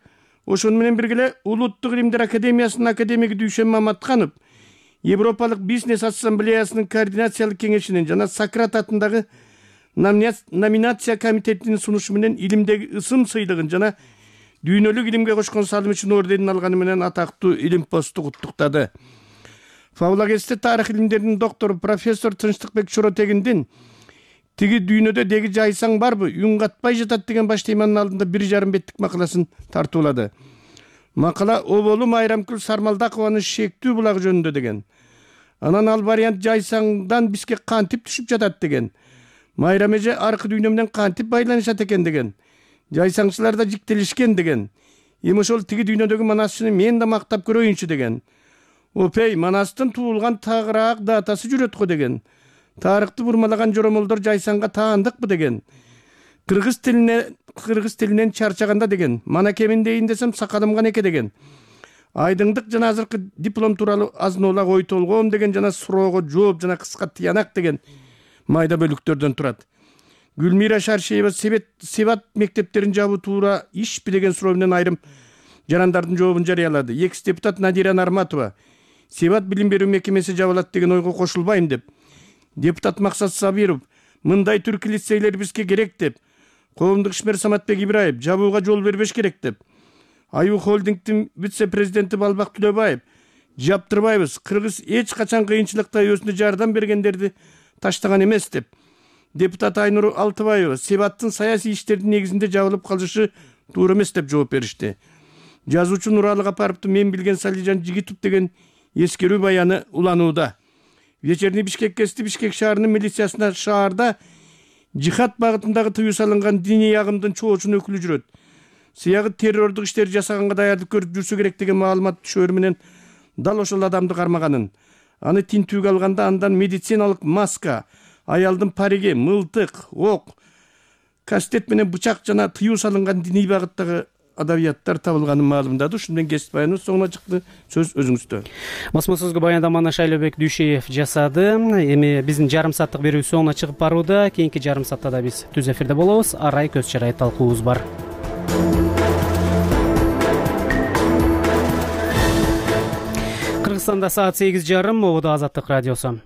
ошону менен бирге эле Улуттук илимдер академиясынын академиги Дүйшөн Маматканов, Европалык бизнес ассамблеясынын координациялык кеңешинин жана Сократ атындагы номинация комитетинин сунушу менен илимдеги ысым сыйлыгын жана дүйнөлүк илимге кошкон салымы үчүн орденин алганы менен атактуу илим посту куттуктады. Фабула гезити тарых илимдеринин доктору профессор Тынчтыкбек Чоротегиндин «Тиги дүйнөдө деги жайсаң барбы, үн катпай жатат» деген баш теманын алдында бир жарым беттик макаласын тартуулады. Макала оболум Айрамкүл Сармалдакованын «Шектүү булагы» жөнүндө деген. Анан ал вариант жайсаңдан бизге кантип түшүп жатат деген. Майрам эже аркы дүйнө менен кантип байланышат экен деген. Жайсаңчылар да жиктелишкен деген. Эми ошол тиги дүйнөдөгү манасчыны мен да мактап көрөйүнчү деген. Опей, манастын туулган тагыраак датасы жүрөт го деген. Тарыхты бурмалаган жоромолдор жайсаңга таандыкпы деген. Кыргыз тилине кыргыз тилинен чарчаганда деген. Мана кемин дейин десем сакалымга неке деген. Айдыңдык жана азыркы диплом тууралуу азын-олак ой толгоом деген жана суроого жооп жана кыска тыянак деген майда бөлүктөрдөн турат. Гүлмира Шаршеева Себат мектептерин жабуу туура ишпи деген суроо менен айрым жарандардын жообун жарыялады. Экс депутат Надира Нарматова Себат билим берүү мекемеси жабылат деген ойго кошулбайм деп, депутат Максат Сабиров мындай түрк лицейлер бизге керек деп, коомдук ишмер Саматбек Ибраев жабууга жол бербеш керек деп, Аюу холдингдин вице-президенти Балбак Түлөбаев жаптырбайбыз, кыргыз эч качан кыйынчылыкта өзүнө жардам бергендерди таштаган эмес деп, депутат Айнур Алтыбаева Себаттын саясий иштердин негизинде жабылып калышы туура эмес деп жооп беришти. Жазуучу Нуралы Капаровдун мен билген Салижан Жигитов деген эскерүү баяны уланууда. Вечерний Бишкек кести Бишкек шаарынын милициясына шаарда жихад багытындагы тыюу салынган диний агымдын чоочун өкүлү жүрөт. Сыягы террордук иштер жасаганга даярдык көрүп жүрсө керек деген маалымат түшөөрү менен дал ошол адамды кармаганын. Аны тинтүүгө алганда андан медициналык маска, аялдын париги, мылтык, ок, кастет менен бычак жана тыюу салынган диний багыттагы адабияттар табылганын маалымдады. Ушун менен кесип баяныбыз соңуна чыкты. Сөз өзүңүздө.
Басма сөзгө баяндаманы Шайлообек Дүйшеев жасады. Эми биздин жарым сааттык берүү соңуна чыгып барууда. Кийинки жарым саатта да биз түз эфирде болобуз. Арай көз чарай талкуубуз бар. Кыргызстанда саат сегиз жарым. Могуда Азаттык радиосу.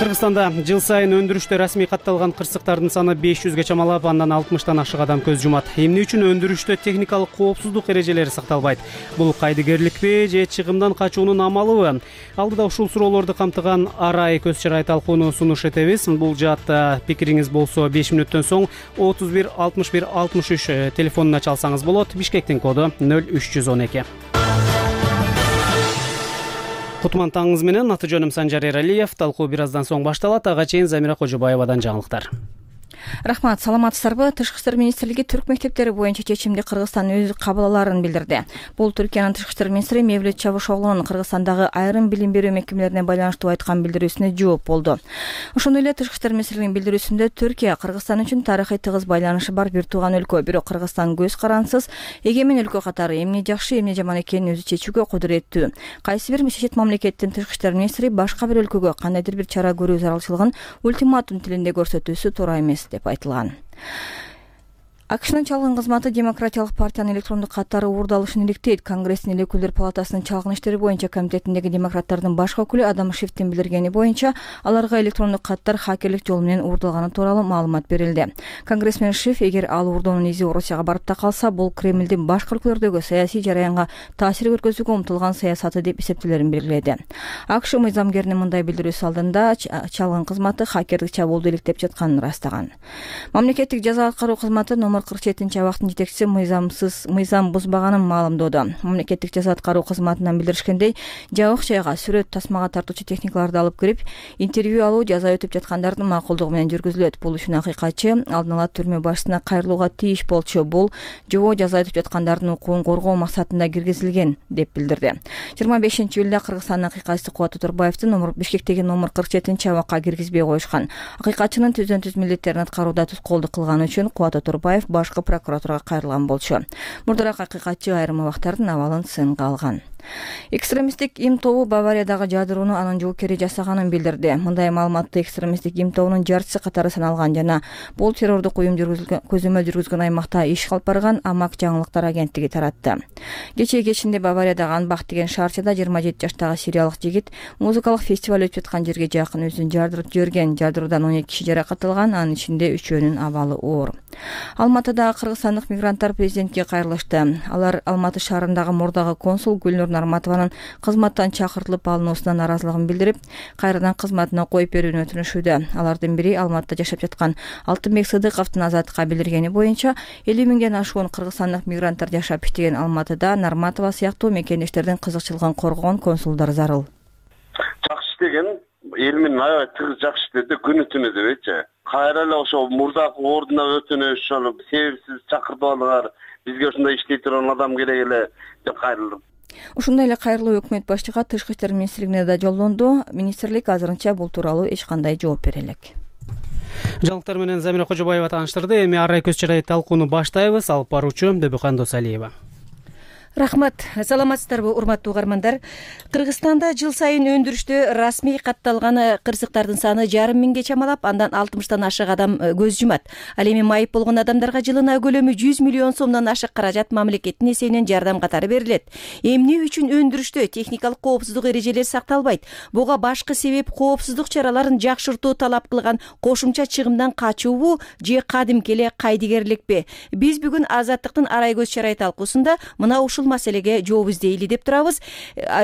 Кыргызстанда жыл сайын өндүрүштө расмий катталган кырсыктардын саны беш жүзгө чамалап, андан алтымыштан ашык адам көз жумат. Эмне үчүн өндүрүштө техникалык коопсуздук эрежелери сакталбайт? Бул кайдыгерликпи же чыгымдан качуунун амалыбы? Алдыда ушул суроолорду камтыган Арай көз чарай талкууну сунуш этебиз. Бул жаатта пикириңиз болсо беш мүнөттөн соң отуз бир алтымыш бир алтымыш үч телефонуна чалсаңыз болот. Бишкектин коду нөл үч жүз он эки. Кутман таңыңыз менен, аты жөнүм Санжар Эралиев. Талкуу бир аздан соң башталат. Ага чейин Замира Кожобаевадан жаңылыктар.
Рахмат, саламатсыздарбы? Тышкы иштер министрлиги түрк мектептери боюнча чечимди Кыргызстан өз кабыл алаарын билдирди. Бул Түркиянын тышкы иштер министри Мевлют Чавушоглунун Кыргызстандагы айрым билим берүү мекемелерине байланыштуу айткан билдирүүсүнө жооп болду. Ошондой эле тышкы иштер министрлигинин билдирүүсүндө Түркия Кыргызстан үчүн тарыхый тыгыз байланышы бар бир тууган өлкө, бирок Кыргызстан көз карансыз эгемен өлкө катары эмне жакшы, эмне жаман экенин өзү чечүүгө кудуреттүү. Кайсы бир чечет мамлекеттин тышкы иштер министри башка бир өлкөгө кандайдыр бир чара көрүү зарылчылыгын ультиматум тилинде көрсөтүүсү туура эмес деп айтылган. АКШнын чалгын кызматы Демократиялык партиянын электрондук каттары уурдалышын иликтейт. Конгресстин эл өкүлдөр палатасынын чалгын иштери боюнча комитетиндеги демократтардын баш өкүлү Адам Шифтин билдиргени боюнча, аларга электрондук каттар хакерлик жолу менен уурдалганы тууралуу маалымат берилди. Конгрессмен Шиф, эгер ал уурдоонун изи Орусияга барып да калса, бул Кремлдин башка өлкөлөрдөгү саясий жараянга таасир көргөзүүгө умтулган саясаты деп эсептелерин белгиледи. АКШ мыйзамгеринин мындай билдирүүсү алдында чалгын кызматы хакердик чабуулду иликтеп жатканын ырастаган. Мамлекеттик жаза аткаруу кызматы номер кырк жетинчи абактын жетекчиси мыйзамсыз мыйзам бузбаганын маалымдоодо. Мамлекеттик жаза аткаруу кызматынан билдиришкендей, жабык жайга сүрөт тасмага тартуучу техникаларды алып кирип, интервью алуу жаза өтүп жаткандардын макулдугу менен жүргүзүлөт. Бул үчүн акыйкатчы алдын ала түрмө башчысына кайрылууга тийиш болчу. Бул жобо жаза өтүп жаткандардын укугун коргоо максатында киргизилген деп билдирди. жыйырма бешинчи июлда Кыргызстандын акыйкатчысы Кубат Турбаевди номер Бишкектеги номер кырк жетинчи абакка киргизбей коюшкан. Акыйкатчынын түздөн түз милдеттерин аткарууда тоскоолдук кылганы үчүн Кубат Турбаев башкы прокуратурага кайрылган болчу. Мурдараак акыйкатчы айрым абактардын абалын сынга алган. Экстремисттик им тобу Бавариядагы жадырууну анын жоокери жасаганын билдирди. Мындай маалыматты экстремисттик им тобунун жарчысы катары саналган жана бул террордук уюм көзөмөл жүргүзгөн аймакта иш алып барган Амак жаңылыктар агенттиги таратты. Кечээ кечинде Бавариядагы Анбах деген шаарчада жыйырма жети жаштагы сириялык жигит музыкалык фестиваль өтүп жаткан жерге жакын өзүн жардырып жиберген. Жардыруудан он эки киши жаракат алган, анын ичинде үчөөнүн абалы оор. Алматыда кыргызстандык мигранттар президентке кайрылышты. Алар Алматы шаарындагы мурдагы консул Гүлнур Нарматованын кызматтан чакыртылып алынуусуна нааразылыгын билдирип, кайрадан кызматына коюп берүүнү өтүнүшүүдө. Алардын бири Алматыда жашап жаткан Алтынбек Сыдыковдун Азаттыкка билдиргени боюнча, элүү миңден ашуун кыргызстандык мигранттар жашап иштеген Алматыда Нарматова сыяктуу мекендештердин кызыкчылыгын коргогон консулдар зарыл.
Жакшы деген эл менен аябай тыгыз жакшы иштеди, күнү түнү дебейчи. Кайра эле ошо мурдагы ордуна өтүнүш, ошо себепсиз чакыртып алгандар, бизге ушундай иштей турган адам керек эле деп кайрылдым.
Ушундай эле кайрылуу өкмөт башчыга Тышкы иштер министрлигине да жолдонду. Министрлик азырынча бул тууралуу эч кандай жооп бере элек.
Жаңылыктар менен Замира Кожобаева тааныштырды. Эми Арай көз чарай талкууну баштайбыз. Алып баруучу Дөбөкан Досалиева.
Рахмат. Саламатсыздарбы, урматтуу угармандар? Кыргызстанда жыл сайын өндүрүштө расмий катталган кырсыктардын саны жарым миңге чамалап, андан алтымыштан ашык адам көз жумат. Ал эми майып болгон адамдарга жылына көлөмү жүз миллион сомдон ашык каражат мамлекеттин эсебинен жардам катары берилет. Эмне үчүн өндүрүштө техникалык коопсуздук эрежелери сакталбайт? Буга башкы себеп коопсуздук чараларын жакшыртуу талап кылган кошумча чыгымдан качуубу же кадимки эле кайдыгерликпи? Биз бүгүн Азаттыктын арай көз чарай талкуусунда мына ушул маселеге жооп издейли деп турабыз.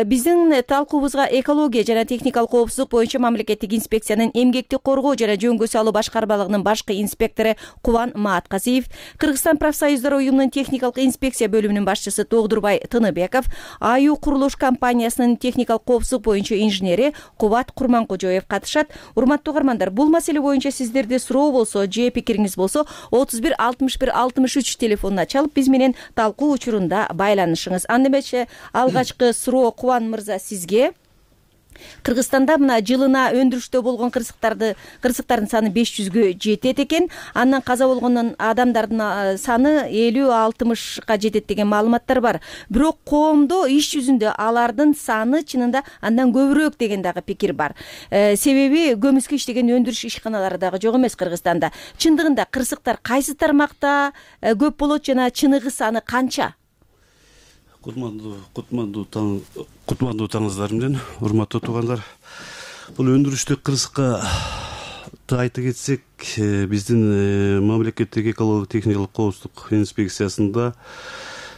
Биздин талкуубузга экология жана техникалык коопсуздук боюнча мамлекеттик инспекциянын эмгекти коргоо жана жөнгө салуу башкармалыгынын башкы инспектору Кубан Мааткасиев, Кыргызстан профсоюздар уюмунун техникалык инспекция бөлүмүнүн башчысы Тогдурбай Тыныбеков, Аю курулуш компаниясынын техникалык коопсуздук боюнча инженери Кубат Курманкожоев катышат. Урматтуу угармандар, бул маселе боюнча сиздерде суроо болсо же пикириңиз болсо отуз бир алтымыш бир алтымыш үч телефонуна чалып биз менен талкуу учурунда байланышыңыз. Анда эмесе алгачкы суроо Кубан мырза сизге. Кыргызстанда мына жылына өндүрүштө болгон кырсыктарды кырсыктардын саны беш жүзгө жетет экен. Андан каза болгон адамдардын саны элүү алтымышка жетет деген маалыматтар бар. Бирок коомдо иш жүзүндө алардын саны чынында андан көбүрөөк деген дагы пикир бар. Себеби көмүскө иштеген өндүрүш ишканалары дагы жок эмес Кыргызстанда. Чындыгында кырсыктар кайсы тармакта көп болот жана чыныгы саны канча?
Кутмандуу кутмандуу таң кутмандуу таңыңыздар менен, урматтуу туугандар. Бул өндүрүштү кырсыкка айта кетсек, биздин мамлекеттик экологиялык техникалык коопсуздук инспекциясында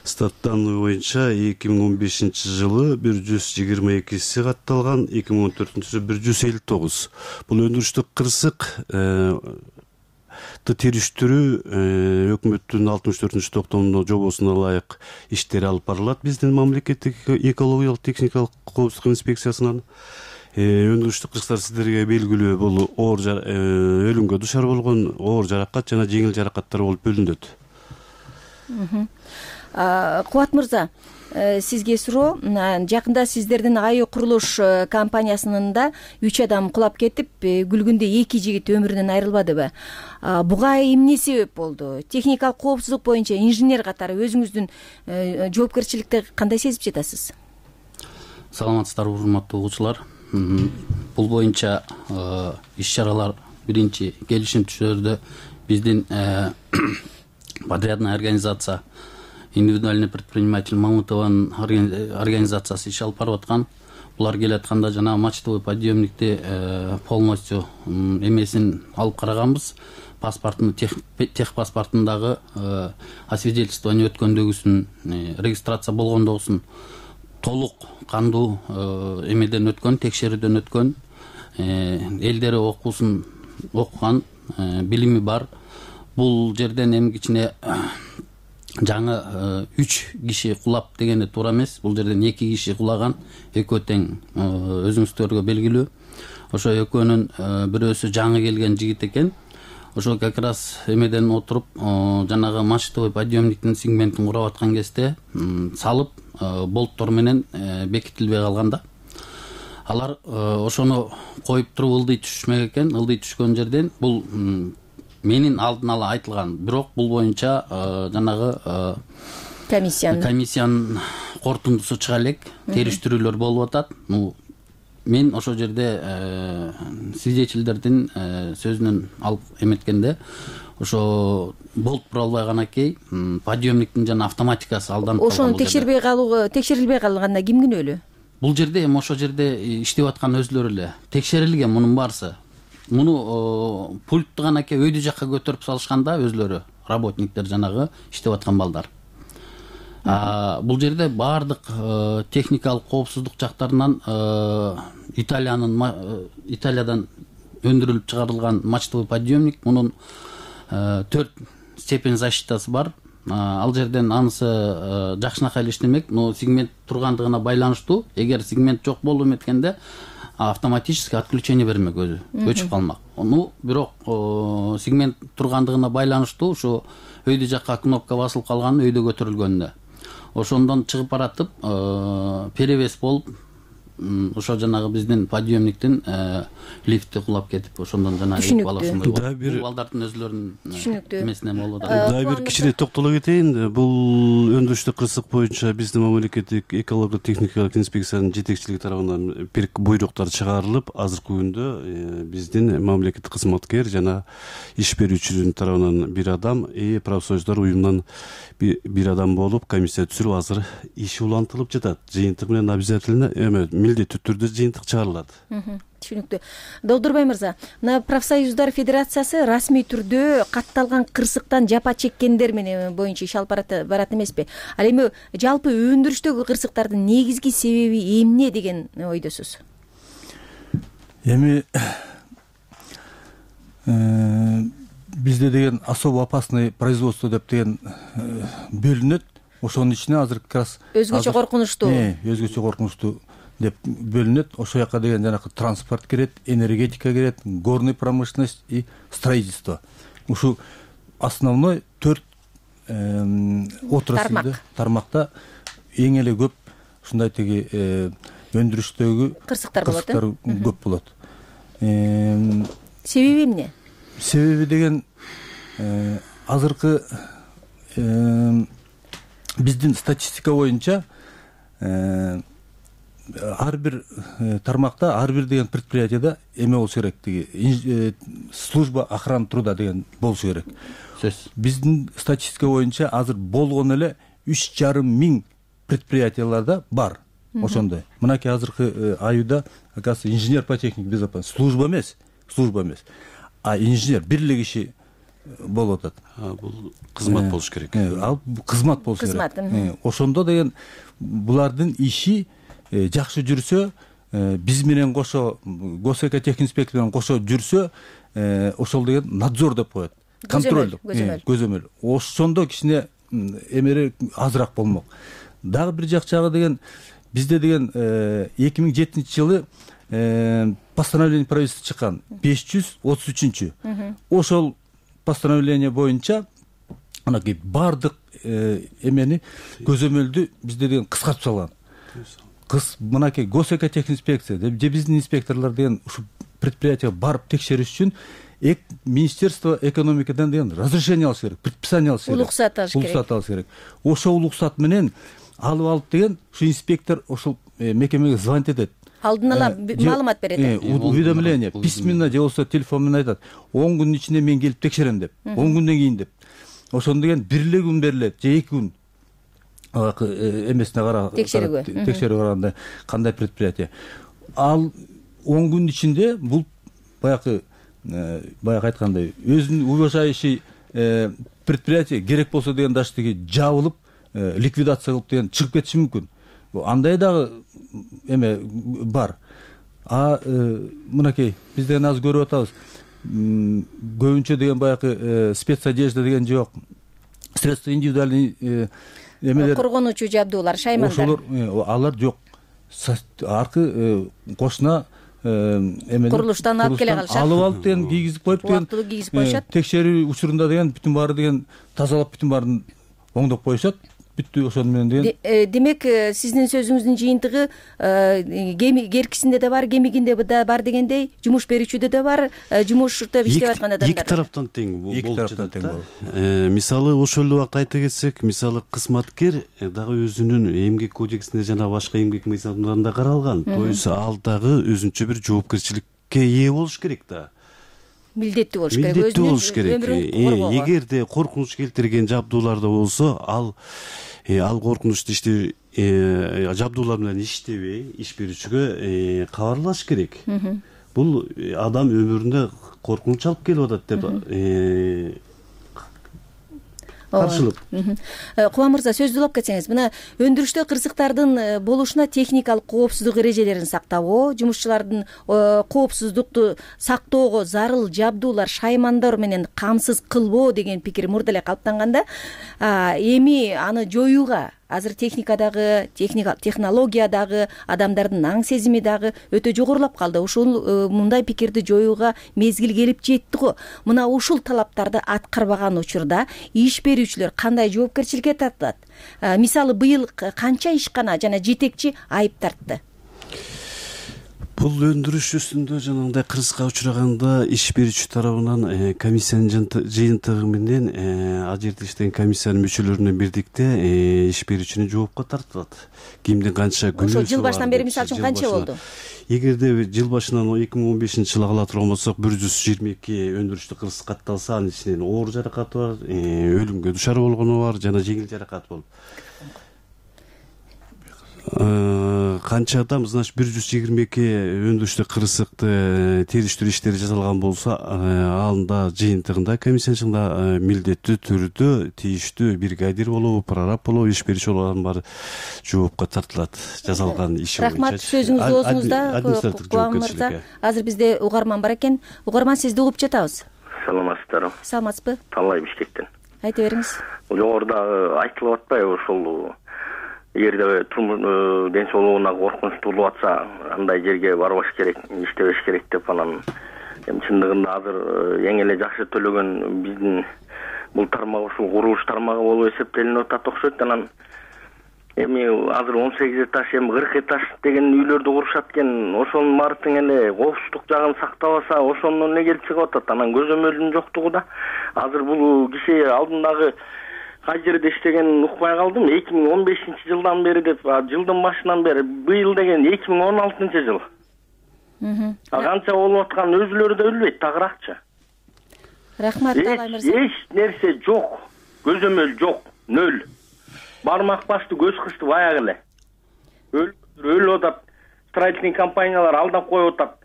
статтан боюнча эки миң он бешинчи жылы бир жүз жыйырма экиси катталган, эки миң он төртүнчү жылы бир жүз элүү тогуз. Бул өндүрүштүк кырсык териштирүү өкмөттүн алтымыш төртүнчү токтомунун жобосуна ылайык иштер алып барылат биздин мамлекеттик экологиялык техникалык коопсуздук инспекциясынан. Өндүрүштүк кырсыктар сиздерге белгилүү, бул оор өлүмгө душар болгон оор жаракат жана жеңил жаракаттар болуп бөлүнөт.
Кубат мырза, сизге суроо. Жакында сиздердин Аю курулуш компаниясында үч адам кулап кетип, Күлгүндө эки жигит өмүрүнөн айрылбадыбы? Буга эмне себеп болду? Техникалык коопсуздук боюнча инженер катары өзүңүздүн жоопкерчиликти кандай сезип жатасыз?
Саламатсыздарбы, урматтуу угуучулар. Бул боюнча иш-чаралар биринчи келишим түшүрдө биздин подрядная организация индивидуальный предприниматель Мамутованын организациясы иш алып барып аткан. Булар келатканда жана мачтовый подъемникти полностью эмесин алып караганбыз. Паспортун тех паспортундагы освидетельствование өткөндөгүсүн, регистрация болгондогусун толук кандуу эмеден өткөн, текшерүүдөн өткөн, элдери окуусун окуган, билими бар. Бул жерден эми кичине жаңы үч киши кулап дегенде туура эмес. Бул жерден эки киши кулаган, экөө тең, өзүңүздөргө белгилүү. Ошо экөөнүн бирөөсү жаңы келген жигит экен. Ошо как раз эмеден отуруп, жанагы мачтовый подъемниктин сегментин курап аткан кезде салып, болттор менен бекитилбей калганда. Алар ошону коюп туруп ылдый түшмөк экен. Ылдый түшкөн жерден бул менин алдын ала айтылган, бирок бул боюнча жанагы
комиссиянын
комиссиянын корутундусу чыга элек, териштирүүлөр болуп атат. Ну, мен ошол жерде свидетельдердин сөзүнөн алып эметкенде, ошо болт бура албай канакей, подъемниктин жана автоматикасы алданып калган.
Ошону текшербей калуу, текшерилбей калганда ким күнөөлүү?
Бул жерде эми ошол жерде иштеп аткан өзлөрү эле. Текшерилген мунун баарысы. Муну пультту канакей өйдө жакка көтөрүп салышканда өзлөрү, работниктер жанагы иштеп аткан балдар. Бул жерде баардык техникалык коопсуздук жактарынан Италиянын Италиядан өндүрүлүп чыгарылган мачтовый подъемник, мунун төрт степень защитасы бар. Ал жерден анысы жакшынакай эле иштемек, но сегмент тургандыгына байланыштуу. Эгер сегмент жок болуп эметкенде автоматически отключение бермек, өзү өчүп калмак. Ну, бирок сегмент тургандыгына байланыштуу ушу өйдө жакка кнопка басылып калган, өйдө көтөрүлгөндө ошондон чыгып баратып перевес болуп ошо жанагы биздин подъемниктин лифти кулап кетип ошондон жанагы бала ошондой
дагы бир
бул балдардын өзүлөрүнүн
түшүнүктүү
эмесине болуп атат.
дагы бир кичине токтоло кетейин. Бул өндүрүштүк кырсык боюнча биздин мамлекеттик экологиялык техникалык инспекциянын жетекчилиги тарабынан бир буйруктар чыгарылып, азыркы күндө биздин мамлекеттик кызматкер жана иш берүүчүнүн тарабынан бир адам, и профсоюздар уюмунан бир адам болуп комиссия түзүлүп, азыр иш улантылып жатат. Жыйынтык менен обязательно эме милдеттүү түрдө жыйынтык чыгарылат.
Түшүнүктүү. Долдурбай мырза, мына профсоюздар федерациясы расмий түрдө катталган кырсыктан жапа чеккендер менен боюнча иш алып барат эмеспи? Ал эми жалпы өндүрүштөгү кырсыктардын негизги себеби эмне деген ойдосуз?
Эми бизде деген особо опасный производство деп деген бөлүнөт. Ошонун ичине азыр как раз
өзгөчө коркунучтуу.
Өзгөчө коркунучтуу деп бөлүнөт. Ошол жака деген жанагы транспорт кирет, энергетика кирет, горный промышленность и строительство. Ушу основной төрт отраслда, тармакта эң эле көп ушундай тиги өндүрүштөгү
кырсыктар болот.
Кырсыктар көп болот.
Себеби эмне?
Себеби деген азыркы биздин статистика боюнча ар бир тармакта, ар бир деген предприятияда эме болушу керек, тиги служба охраны труда деген болушу керек. Биздин статистика боюнча азыр болгону эле үч жарым миң предприятияларда бар. Ошондой. Мынакей азыркы аюуда, оказывается, инженер по технике безопасности служба эмес, служба эмес, а инженер бир эле киши болуп атат.
Бул кызмат болуш керек.
Ал кызмат болуш керек. Ошондо деген булардын иши жакшы жүрсө, биз менен кошо, госэкотехинспекция менен кошо жүрсө, ошол деген надзор деп коет. Контроль, көзөмөл. Ошондо кичине эмери азыраак болмок. Дагы бир жакчагы деген бизде деген эки миң жетинчи жылы постановление правительства чыккан беш жүз отуз үчүнчү. Ошол постановление боюнча анакей бардык эмени көзөмөлдү бизде деген кыскартып салган. Кыз мынакей госэкотехинспекция же биздин инспекторлор деген ушу предприятияга барып текшериш үчүн Министерство экономикадан деген разрешение алыш керек, предписание алыш керек.
Улуксат алыш керек.
Улуксат алыш керек. Ошол улуксат менен алып алып деген ушу инспектор ошол мекемеге звонить этет.
Алдын ала маалымат берет.
Уведомление письменно же болбосо телефон менен айтат. он күндүн ичинде мен келип текшерем деп. он күндөн кийин деп. Ошондо деген бир эле күн берилет же эки күн. Эмесине карап,
текшерүүгө.
Текшерүүгө караганда кандай предприятие. Ал он күндүн ичинде бул баягы баягы айткандай өзүнүн уважающий предприятие керек болсо деген даже тиги жабылып ликвидация кылып деген чыгып кетиши мүмкүн. Андай дагы эме бар. А мынакей биз деген азыр көрүп атабыз. Көбүнчө деген баягы спецодежда деген жок. Средства индивидуальный эмелер.
Коргонуучу жабдуулар, шаймандар.
Ошолор алар жок. Аркы кошуна эмелер
курулуштан алып келе калышат.
Алып алып деген кийгизип коюп деген.
Убактылуу кийгизип коюшат.
Текшерүү учурунда деген бүтүн баары деген тазалап бүтүн баарын оңдоп коюшат. Бүттү ошону менен деген.
Демек сиздин сөзүңүздүн жыйынтыгы кеми керкисинде да бар, кемигинде да бар дегендей, жумуш берүүчүдө да бар, жумушта иштеп аткан адамдар.
Эки тараптан тең болуп
жатат.
Мисалы ошол эле убакта айта кетсек, мисалы кызматкер дагы өзүнүн эмгек кодексинде жана башка эмгек мыйзамдарында каралган. То есть ал дагы өзүнчө бир жоопкерчиликке ээ болуш керек да.
Милдеттүү болуш керек.
Милдеттүү болуш керек. Эгерде коркунуч келтирген жабдууларда болсо, ал ал коркунучту ишти жабдуулар менен иштебей, иш берүүчүгө кабарлаш керек. Бул адам өмүрүндө коркунуч алып келип атат деп каршылык.
Кубан мырза, сөздү улап кетсеңиз, мына өндүрүштө кырсыктардын болушуна техникалык коопсуздук эрежелерин сактабоо, жумушчулардын коопсуздукту сактоого зарыл жабдуулар, шаймандар менен камсыз кылбоо деген пикир мурда эле калыптанганда, эми аны жоюуга азыр техникадагы, технологиядагы, адамдардын аң сезими дагы өтө жогорулап калды. Ушул мындай пикирди жоюуга мезгил келип жетти го. Мына ушул талаптарды аткарбаган учурда иш берүүчүлөр кандай жоопкерчиликке тартылат? Мисалы, быйыл канча ишкана жана жетекчи айып тартты?
бул өндүрүш үстүндө жанагындай кырсыкка учураганда иш берүүчү тарабынан комиссиянын жыйынтыгы менен ал жерде иштеген комиссиянын мүчөлөрүнөн бирдикте иш берүүчүнү жоопко тартылат. Кимдин канча күнөөсү бар.
Ошол жыл башынан бери мисалы үчүн канча болду?
Эгерде жыл башынан эки миң он бешинчи жылы кала турган болсок, бир жүз жыйырма эки өндүрүштүк кырсык катталса, анын ичинен оор жаракаты бар, өлүмгө душар болгону бар жана жеңил жаракат болуп. Канча адам, значит, бир жүз жыйырма эки өндүрүштүк кырсыкты териштирүү иштери жасалган болсо, анда жыйынтыгында комиссиянын милдеттүү түрдө тийиштүү бригадир болобу, прораб болобу, иш берүүчү болобу баары жоопко тартылат жасалган иши боюнча.
Рахмат, сөзүңүз оозуңузда. Кубан мырза, азыр бизде угарман бар экен. Угарман, сизди угуп жатабыз.
Саламатсыздарбы?
Саламатсызбы?
Талай Бишкектен.
Айта бериңиз.
Жогоруда айтылып атпайбы, ошол эгерде ден соолугуна коркунуч туулуп атса, андай жерге барбаш керек, иштебеш керек деп анан эми чындыгында азыр эң эле жакшы төлөгөн биздин бул тармак ушул курулуш тармагы болуп эсептелинип атат окшойт. Анан эми азыр он сегиз этаж, эми кырк этаж деген үйлөрдү курушат экен. Ошонун баары тең эле коопсуздук жагын сактабаса, ошондон эле келип чыгып атат. Анан көзөмөлдүн жоктугу да. Азыр бул киши алдындагы кай жерде иштеген укпай калдым. эки миң он бешинчи жылдан бери деп, жылдын башынан бери, быйыл деген эки миң он алтынчы жыл. А канча болуп аткан өзүлөрү да билбейт, тагыракчы.
Рахмат, Талай мырза.
Эч нерсе жок, көзөмөл жок, нөл. Бармак басты, көз кысты баягы эле. Өлүп атат, строительный компаниялар алдап коюп атат.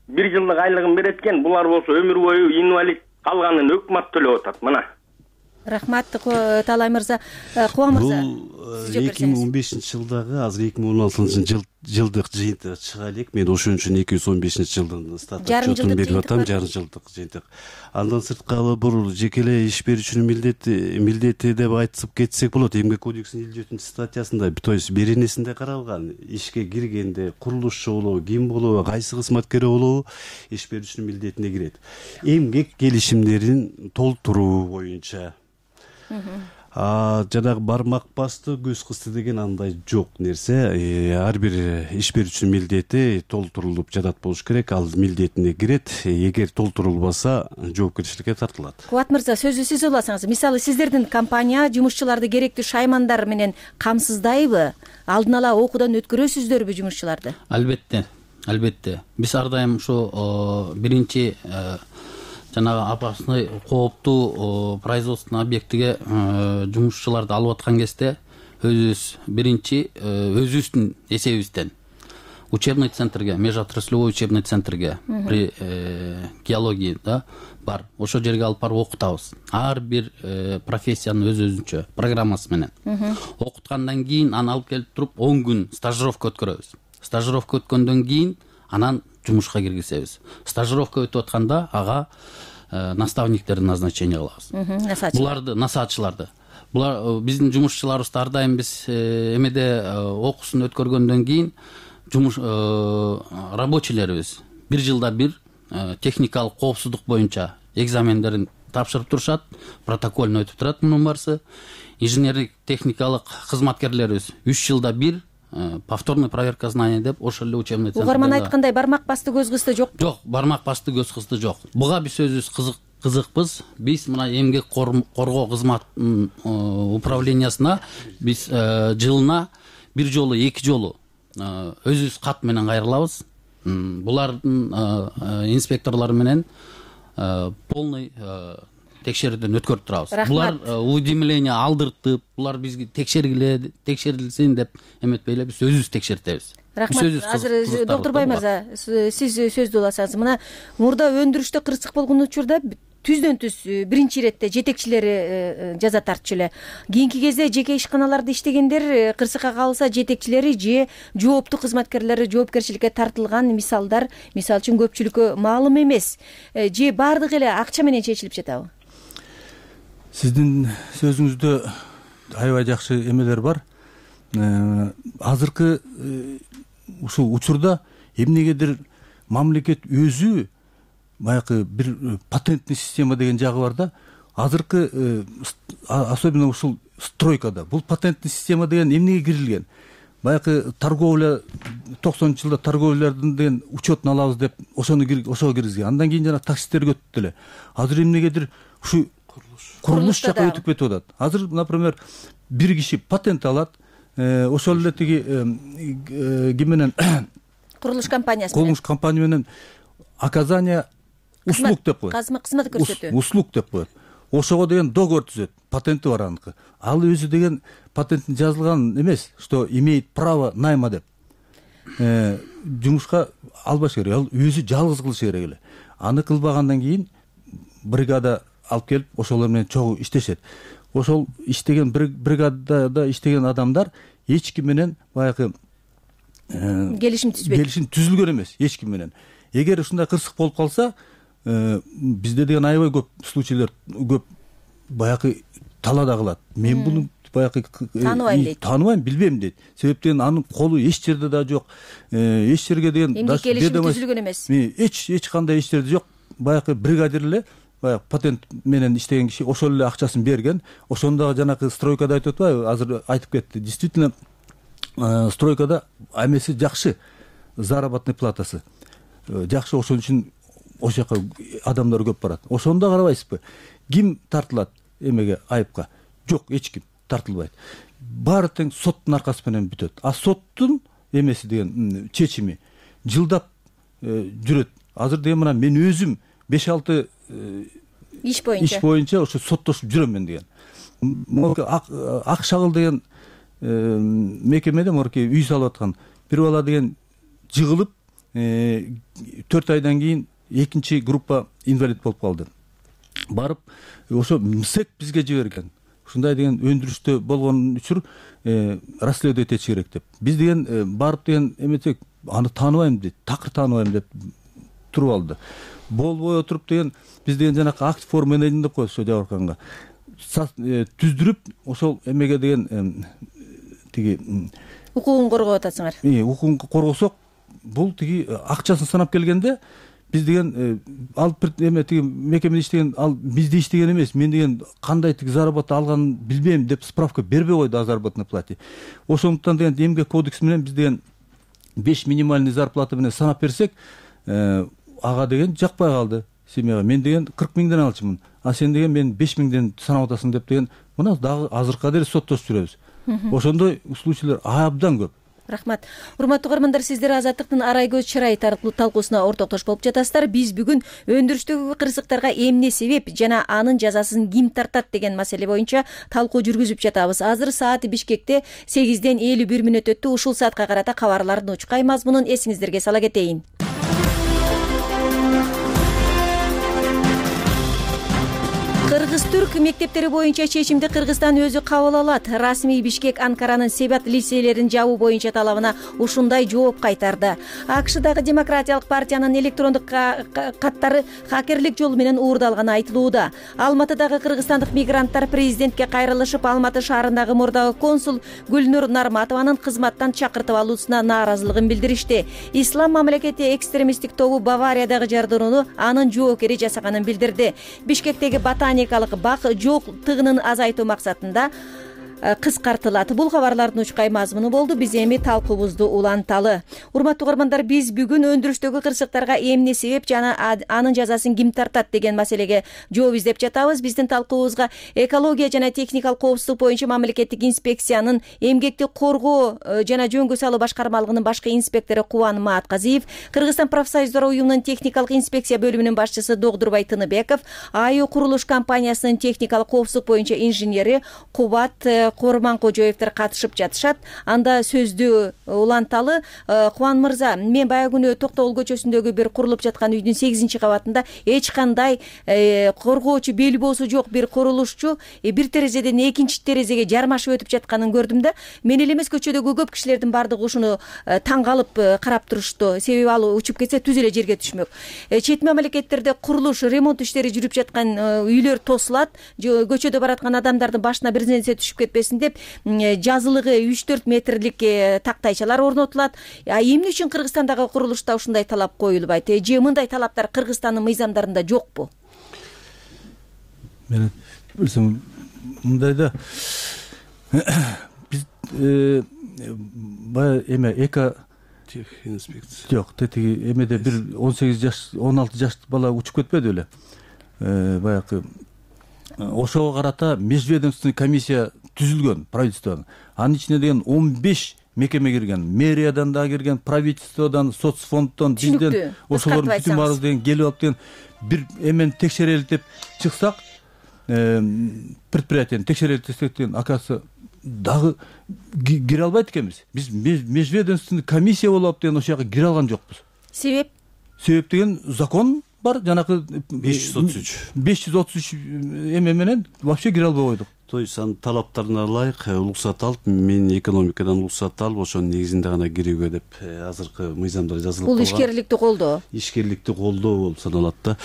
Бир жылдык айлыгын берет экен, булар болсо өмүр бою инвалид, калганын өкмөт төлөп атат. Мына.
Рахмат, Талай мырза. Кубан мырза.
Бул эки миң он бешинчи жылдагы, азыр эки миң он алтынчы жыл жылдык жыйынтык чыга элек. Мен ошон үчүн эки жүз он бешинчи жылдын статутун берип атам, жарым жылдык жыйынтык. Андан сырткары бул жеке эле иш берүүчүнүн милдети, милдети деп айтып кетсек болот. Эмгек кодексинин элүү төртүнчү статьясында, то есть беренесинде каралган, ишке киргенде курулушчу болобу, ким болобу, кайсы кызматкер болобу, иш берүүчүнүн милдетине кирет. Эмгек келишимдерин толтуруу боюнча. А жанагы бармак басты, көз кысты деген андай жок нерсе. Ар бир иш берүүчүнүн милдети толтурулуп жатат болуш керек, ал милдетине кирет. Эгер толтурулбаса, жоопкерчиликке тартылат.
Кубат мырза, сөзү сиз уласаңыз. Мисалы, сиздердин компания жумушчуларды керектүү шаймандар менен камсыздайбы? Алдын ала окуудан өткөрөсүздөрбү жумушчуларды?
Албетте, албетте. Биз ар дайым ушу биринчи жанагы опасный, кооптуу производственный объектиге жумушчуларды алып аткан кезде өзүбүз биринчи өзүбүздүн эсебибизден учебный центрге, межотраслевой учебный центрге при геологии да бар. Ошол жерге алып барып окутабыз. Ар бир профессиянын өз өзүнчө программасы менен. Окуткандан кийин аны алып келип туруп он күн стажировка өткөрөбүз. Стажировка өткөндөн кийин анан жумушка киргизебиз. Стажировка өтүп атканда ага наставниктерди назначение кылабыз. Буларды, насаатчыларды. Булар биздин жумушчуларыбызды ар дайым биз эмеде окуусун өткөргөндөн кийин жумуш рабочийлерибиз бир жылда бир техникалык коопсуздук боюнча экзамендерин тапшырып турушат, протокольно өтүп турат мунун барысы. Инженерлик техникалык кызматкерлерибиз үч жылда бир повторный проверка знаний деп ошол эле учебный центрде.
Угарман айткандай, бармак басты, көз кысты жок.
Жок, бармак басты, көз кысты жок. Буга биз өзүбүз кызык кызыкпыз. Биз мына эмгек коргоо кызмат управлениясына биз жылына бир жолу, эки жолу өзүбүз кат менен кайрылабыз. Булардын инспекторлору менен полный текшерүүдөн өткөрүп турабыз. Булар уведомление алдыртып, булар бизге текшергиле, текшерилсин деп эметпей эле биз өзүбүз текшертебиз.
Рахмат. Азыр Доктурбай мырза, сиз сөздү уласаңыз. Мына мурда өндүрүштө кырсык болгон учурда түздөн түз биринчи иретте жетекчилери жаза тартчу эле. Кийинки кезде жеке ишканаларда иштегендер кырсыкка калса жетекчилери же жооптуу кызматкерлери жоопкерчиликке тартылган мисалдар, мисалы үчүн көпчүлүккө маалым эмес. Же баардыгы эле акча менен чечилип жатабы?
Сиздин сөзүңүздө аябай жакшы эмелер бар. Азыркы ушул учурда эмнегедир мамлекет өзү баягы бир патентный система деген жагы бар да. Азыркы особенно ушул стройкада бул патентный система деген эмнеге кирилген? баягы торговля токсонунчу жылда торговлялардын деген учетун алабыз деп ошону ошого киргизген. Андан кийин жана таксистерге өтүп деле. Азыр эмнегедир ушу курулуш жакка өтүп кетип атат. Азыр, например, бир киши патент алат, ошол эле тиги ким менен
курулуш компаниясы
курулуш компания менен оказание услуг деп коет.
Кызмат көрсөтүү.
Услуг деп коет. Ошого деген договор түзөт. Патенти бар аныкы. Ал өзү деген патенттин жазылган эмес, что имеет право найма деп. Жумушка албаш керек. Ал өзү жалгыз кылыш керек эле. Аны кылбагандан кийин бригада алып келип ошолор менен чогуу иштешет. Ошол иштеген бригадада иштеген адамдар эч ким менен баягы
келишим түзбөйт.
Келишим түзүлгөн эмес эч ким менен. Эгер ушундай кырсык болуп калса, бизде деген аябай көп случайлар, көп баягы талаада калат. Мен буну баягы
тааныбайм дейт.
Тааныбайм, билбейм дейт. Себептен анын колу эч жерде да жок. Эч жерге деген
келишим түзүлгөн эмес.
Эч эч кандай эч жерде жок. Баягы бригадир эле, баягы патент менен иштеген киши ошол эле акчасын берген. Ошондогу жанакы стройкада айтып атпайбы? Азыр айтып кетти. Действительно, стройкада эмеси жакшы, заработный платасы жакшы. Ошон үчүн ошол жака адамдар көп барат. Ошондо карабайсызбы? Ким тартылат эмеге, айыпка? Жок, эч ким тартылбайт. Баары тең соттун аркасы менен бүтөт. А соттун эмеси деген чечими жылдап жүрөт. Азыр деген мына мен өзүм беш алты
иш боюнча
иш боюнча ошо соттошуп жүрөм мен деген. Ак шагыл деген мекемеде морки үй салып аткан бир бала деген жыгылып төрт айдан кийин экинчи группа инвалид болуп калды. Барып ошо МСЭК бизге жиберген. Ушундай деген өндүрүштө болгон үчүр расследовать этиш керек деп. Биз деген барып деген эметсек, аны тааныбайм дейт, такыр тааныбайм деп туруп алды. Болбой отуруп деген биз деген жанакы акт форм менеджмент деп коет ошо жабырканга. Түздүрүп ошол эмеге деген тиги
укугун коргоп атасыңар.
Укугун коргосок, бул тиги акчасын санап келгенде биз деген ал эме тиги мекемеде иштеген, ал бизде иштеген эмес, мен деген кандай тиги зарабат алганын билбейм деп справка бербей койду о заработной плате. Ошондуктан деген эмгек кодекси менен биз деген беш минимальный зарплата менен санап берсек, ага деген жакпай калды семьяга. Мен деген кырк миңден алчумун, а сен деген мен беш миңден санап атасың деп деген мына дагы азыркыга дейин соттошуп жүрөбүз. Ошондой случайлар абдан көп.
Рахмат. Урматтуу угармандар, сиздер Азаттыктын арай көз чырай талкуусуна ортоктош болуп жатасыздар. Биз бүгүн өндүрүштөгү кырсыктарга эмне себеп жана анын жазасын ким тартат деген маселе боюнча талкуу жүргүзүп жатабыз. Азыр сааты Бишкекте сегизден элүү бир мүнөт өттү. Ушул саатка карата кабарлардын учкай мазмунун эсиңиздерге сала кетейин. Кыргыз-түрк мектептери боюнча чечимди Кыргызстан өзү кабыл алат. Расмий Бишкек Анкаранын Себат лицейлерин жабуу боюнча талабына ушундай жооп кайтарды. АКШдагы Демократиялык партиянын электрондук каттары хакерлик жолу менен уурдалганы айтылууда. Алматыдагы кыргызстандык мигранттар президентке кайрылышып, Алматы шаарындагы мурдагы консул Гүлнур Нарматованын кызматтан чакыртып алуусуна нааразылыгын билдиришти. Ислам мамлекети экстремисттик тобу Бавариядагы жардырууну анын жоокери жасаганын билдирди. Бишкектеги ботаникалык бак жок тыгынын азайтуу максатында кыскартылат. Бул кабарлардын учкай мазмуну болду. Биз эми талкуубузду уланталы. Урматтуу угармандар, биз бүгүн өндүрүштөгү кырсыктарга эмне себеп жана анын жазасын ким тартат деген маселеге жооп издеп жатабыз. Биздин талкуубузга экология жана техникалык коопсуздук боюнча мамлекеттик инспекциянын эмгекти коргоо жана жөнгө салуу башкармалыгынын башкы инспектору Кубан Маатказиев, Кыргызстан профсоюздар уюмунун техникалык инспекция бөлүмүнүн башчысы Догдурбай Тыныбеков, АЮ курулуш компаниясынын техникалык коопсуздук боюнча инженери Кубат Корман Кожоевдер катышып жатышат. Анда сөздү уланталы. Кубан мырза, мен баягы күнү Токтогул көчөсүндөгү бир курулуп жаткан үйдүн сегизинчи кабатында эч кандай коргоочу белбоосу жок бир курулушчу бир терезеден экинчи терезеге жармашып өтүп жатканын көрдүм да. Мен эле эмес, көчөдөгү көп кишилердин бардыгы ушуну таң калып карап турушту. Себеби ал учуп кетсе түз эле жерге түшмөк. Чет мамлекеттерде курулуш, ремонт иштери жүрүп жаткан үйлөр тосулат. Көчөдө бараткан адамдардын башына бир нерсе түшүп кетпесин деп жазылыгы үч төрт метрлик тактайчалар орнотулат. А эмне үчүн Кыргызстандагы курулушта ушундай талап коюлбайт? Же мындай талаптар Кыргызстандын мыйзамдарында жокпу?
Мен билсем мындай да, биз баягы эме эко
тех инспекция
жок тетиги эмеде бир он сегиз жаш он алты жаш бала учуп кетпеди беле баягы ошого карата межведомственный комиссия түзүлгөн правительстводон. Анын ичине деген он беш мекеме кирген, мэриядан да кирген, правительстводон, соцфонддон, бизден ошолордун бүтүн баарыбыз деген келип алып деген бир эмени текшерели деп чыксак, предприятияны текшерели десек деген оказывается дагы кире албайт экенбиз. Биз межведомственный комиссия болуп алып деген ошол жака кире алган жокпуз.
Себеп?
Себеп деген закон бар, жанакы
беш жүз отуз үч
беш жүз отуз үч эме менен вообще кире албай койдук.
То есть анын талаптарына ылайык уруксат алып, мен экономикадан уруксат алып, ошонун негизинде гана кирүүгө деп азыркы мыйзамдар жазылып
калган. Бул ишкерликти колдоо.
Ишкерликти колдоо болуп саналат да.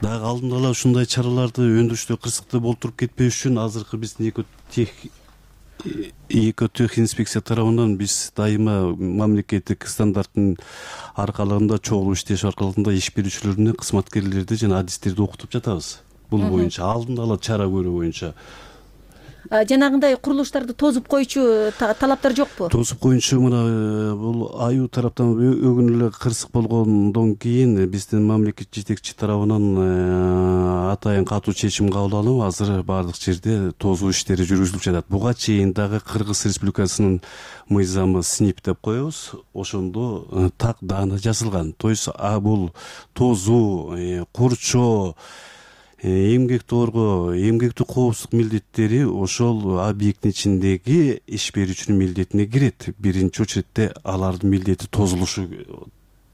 Дагы алдын ала ушундай чараларды өндүрүштө кырсыкты болтуруп кетпеш үчүн азыркы биздин эко тех эко тех инспекция тарабынан биз дайыма мамлекеттик стандарттын аркалыгында чогулуп иштеш аркалыгында иш берүүчүлөрүнө кызматкерлерди жана адистерди окутуп жатабыз. Бул боюнча алдын ала чара көрүү боюнча.
Жанагындай курулуштарды тозуп койчу талаптар жокпу?
Тозуп коюнчу мына бул аю тараптан өгүн эле кырсык болгондон кийин биздин мамлекет жетекчи тарабынан атайын катуу чечим кабыл алынып, азыр баардык жерде тозуу иштери жүргүзүлүп жатат. Буга чейин дагы Кыргыз Республикасынын мыйзамы СНИП деп коебуз. Ошондо так даана жазылган. То есть бул тозуу, курчоо, эмгекти коргоо, эмгектик коопсуздук милдеттери ошол объекттин ичиндеги иш берүүчүнүн милдетине кирет. Биринчи очередде алардын милдети тозулушу,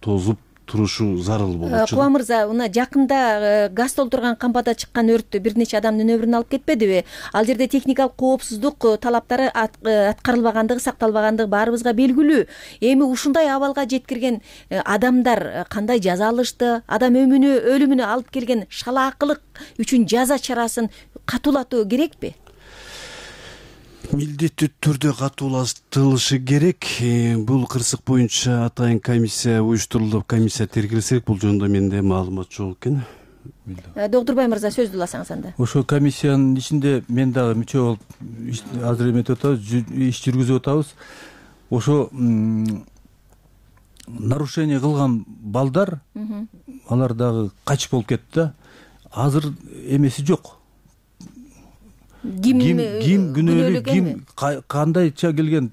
тозуп турушу зарыл болчу.
Куба мырза, мына жакында газ толтурган кампада чыккан өрттө бир нече адамдын өмүрүн алып кетпедиби? Ал жерде техникалык коопсуздук талаптары аткарылбагандыгы, сакталбагандыгы баарыбызга белгилүү. Эми ушундай абалга жеткирген адамдар кандай жаза алышты? Адам өмүнө, өлүмүнө алып келген шалаакылык үчүн жаза чарасын катуулатуу керекпи?
Милдеттүү түрдө катуулаштырылышы керек. Бул кырсык боюнча атайын комиссия уюштурулуп, комиссия тергелсек, бул жөнүндө менде маалымат жок экен.
Доктурбай мырза, сөздү уласаңыз анда.
Ошо комиссиянын ичинде мен дагы мүчө болуп азыр эметип атабыз, иш жүргүзүп атабыз. Ошо нарушение кылган балдар, алар дагы качып болуп кетти да. Азыр эмеси жок. Ким ким күнөөлүү, ким кандайча келген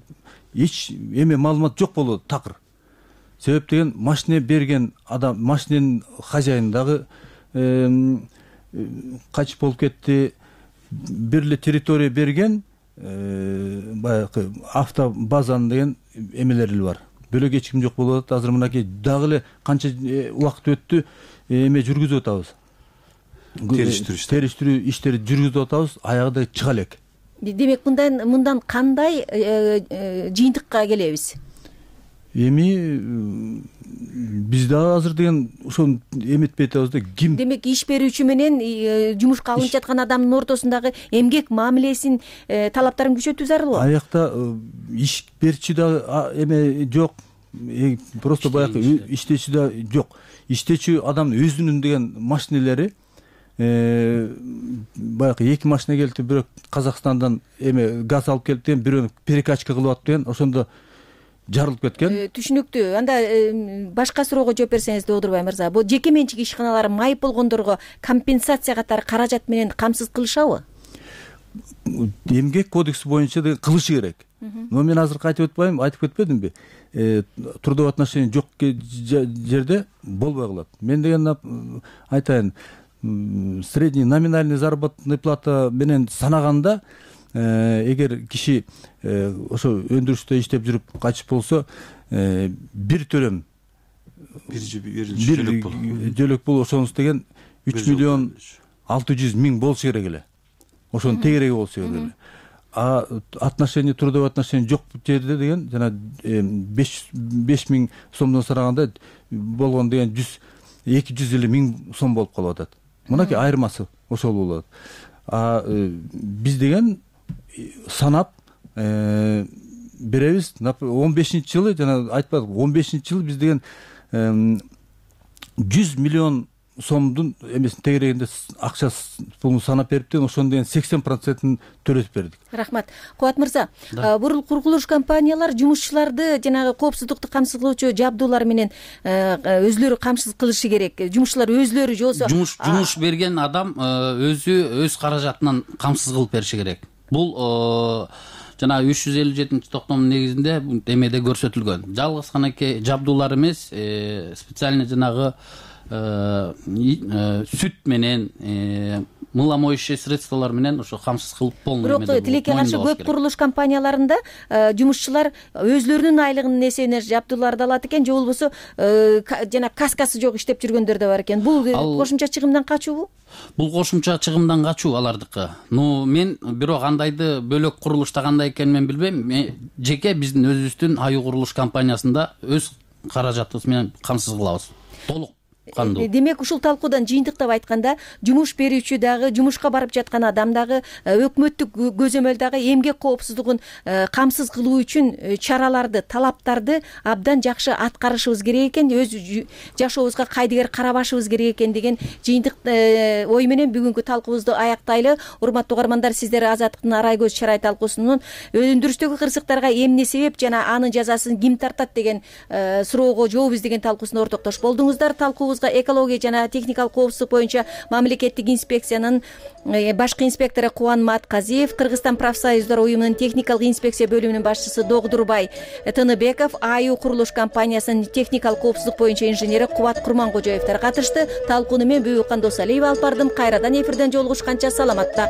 эч эме маалымат жок болот такыр. Себеп деген машина берген адам, машинанын хозяйны дагы качып болуп кетти. Бир эле территория берген баягы автобазанын деген эмелери бар. Бөлөк эч ким жок болуп атат. Азыр мынакей дагы эле канча убакыт өттү, эме жүргүзүп атабыз. Териштирүү иштери жүргүзүп атабыз, аягында чыга элек.
Демек мындан мындан кандай жыйынтыкка келебиз?
Эми биз дагы азыр деген ошону эметпей атабыз да. Ким?
Демек иш берүүчү менен жумушка алынып жаткан адамдын ортосундагы эмгек мамилесин талаптарын күчөтүү зарыл.
Аякта иш берүүчү да эме жок. Просто баягы иштечү да жок. Иштечү адам өзүнүн деген машинелери баягы эки машина келди, бирөө Казакстандан эме газ алып келип деген, бирөө перекачка кылып атып деген, ошондо жарылып кеткен.
Түшүнүктүү. Анда башка суроого жооп берсеңиз, Доодурбай мырза, бул жеке менчик ишканалар майып болгондорго компенсация катары каражат менен камсыз кылышабы?
Эмгек кодекси боюнча деген кылышы керек. Но мен азыр айтып өтпөйм, айтып кетпедимби? Трудовой отношение жок жерде болбой калат. Мен деген айтайын, средний номинальный заработная плата менен санаганда, эгер киши ошо өндүрүштө иштеп жүрүп качып болсо, бир төлөм бир жөлөк бул ошонус деген үч миллион алты жүз миң болушу керек эле. Ошонун тегереги болушу керек эле. А отношение, трудовой отношение жок жерде деген жана беш миң сомдон сараганда болгон деген жүз эки жүз элүү миң сом болуп калып атат. Мынакей айырмасы ошол болот. А биз деген санап беребиз. он бешинчи жылы жана айтпадык, он бешинчи жылы биз деген жүз миллион сомдун эмесин тегерегинде акча пулун санап бериптир, ошондон деген сексен процентин төлөтүп бердик.
Рахмат. Кубат мырза, бул курулуш компаниялар жумушчуларды жанагы коопсуздукту камсыз кылуучу жабдуулар менен өзүлөрү камсыз кылышы керек. Жумушчулар өзүлөрү же болбосо
жумуш жумуш берген адам өзү өз каражатынан камсыз кылып бериши керек. Бул жана үч жүз элүү жетинчи токтомдун негизинде эмеде көрсөтүлгөн. Жалгыз гана жабдуулар эмес, специальный жанагы сүт менен, мыло моющий средстволор менен ошо камсыз кылып полный.
Бирок тилекке каршы көп курулуш компанияларында жумушчулар өзлөрүнүн айлыгынын эсебинен жабдууларды алат экен, же болбосо жана каскасы жок иштеп жүргөндөр да бар экен. Бул кошумча чыгымдан качуубу?
Бул кошумча чыгымдан качуу алардыкы. Но мен бирок андайды бөлөк курулушта кандай экенин мен билбейм. Жеке биздин өзүбүздүн аю курулуш компаниясында өз каражатыбыз менен камсыз кылабыз. Толук.
Демек ушул талкуудан жыйынтыктап айтканда, жумуш берүүчү дагы, жумушка барып жаткан адам дагы өкмөттүк көзөмөл дагы эмгек коопсуздугун камсыз кылуу үчүн чараларды, талаптарды абдан жакшы аткарышыбыз керек экен, өз жашообузга кайдыгер карабашыбыз керек экен деген жыйынтык ой менен бүгүнкү талкуубузду аяктайлы. Урматтуу угармандар, сиздер Азаттыктын Арай көз чырай талкуусунун өндүрүштөгү кырсыктарга эмне себеп жана анын жазасын ким тартат деген суроого жооп издеген талкуусунда ортоктош болдуңуздар. Талкуу экология жана техникалык коопсуздук боюнча мамлекеттик инспекциянын башкы инспектору Кубан Матказиев, Кыргызстан профсоюздар уюмунун техникалык инспекция бөлүмүнүн башчысы Догдурбай Тыныбеков, АЮ курулуш компаниясынын техникалык коопсуздук боюнча инженери Кубат Курманкожоевдер катышты. Талкууну мен Бүбүкан Досалиева алып бардым. Кайрадан эфирден жолугушканча саламатта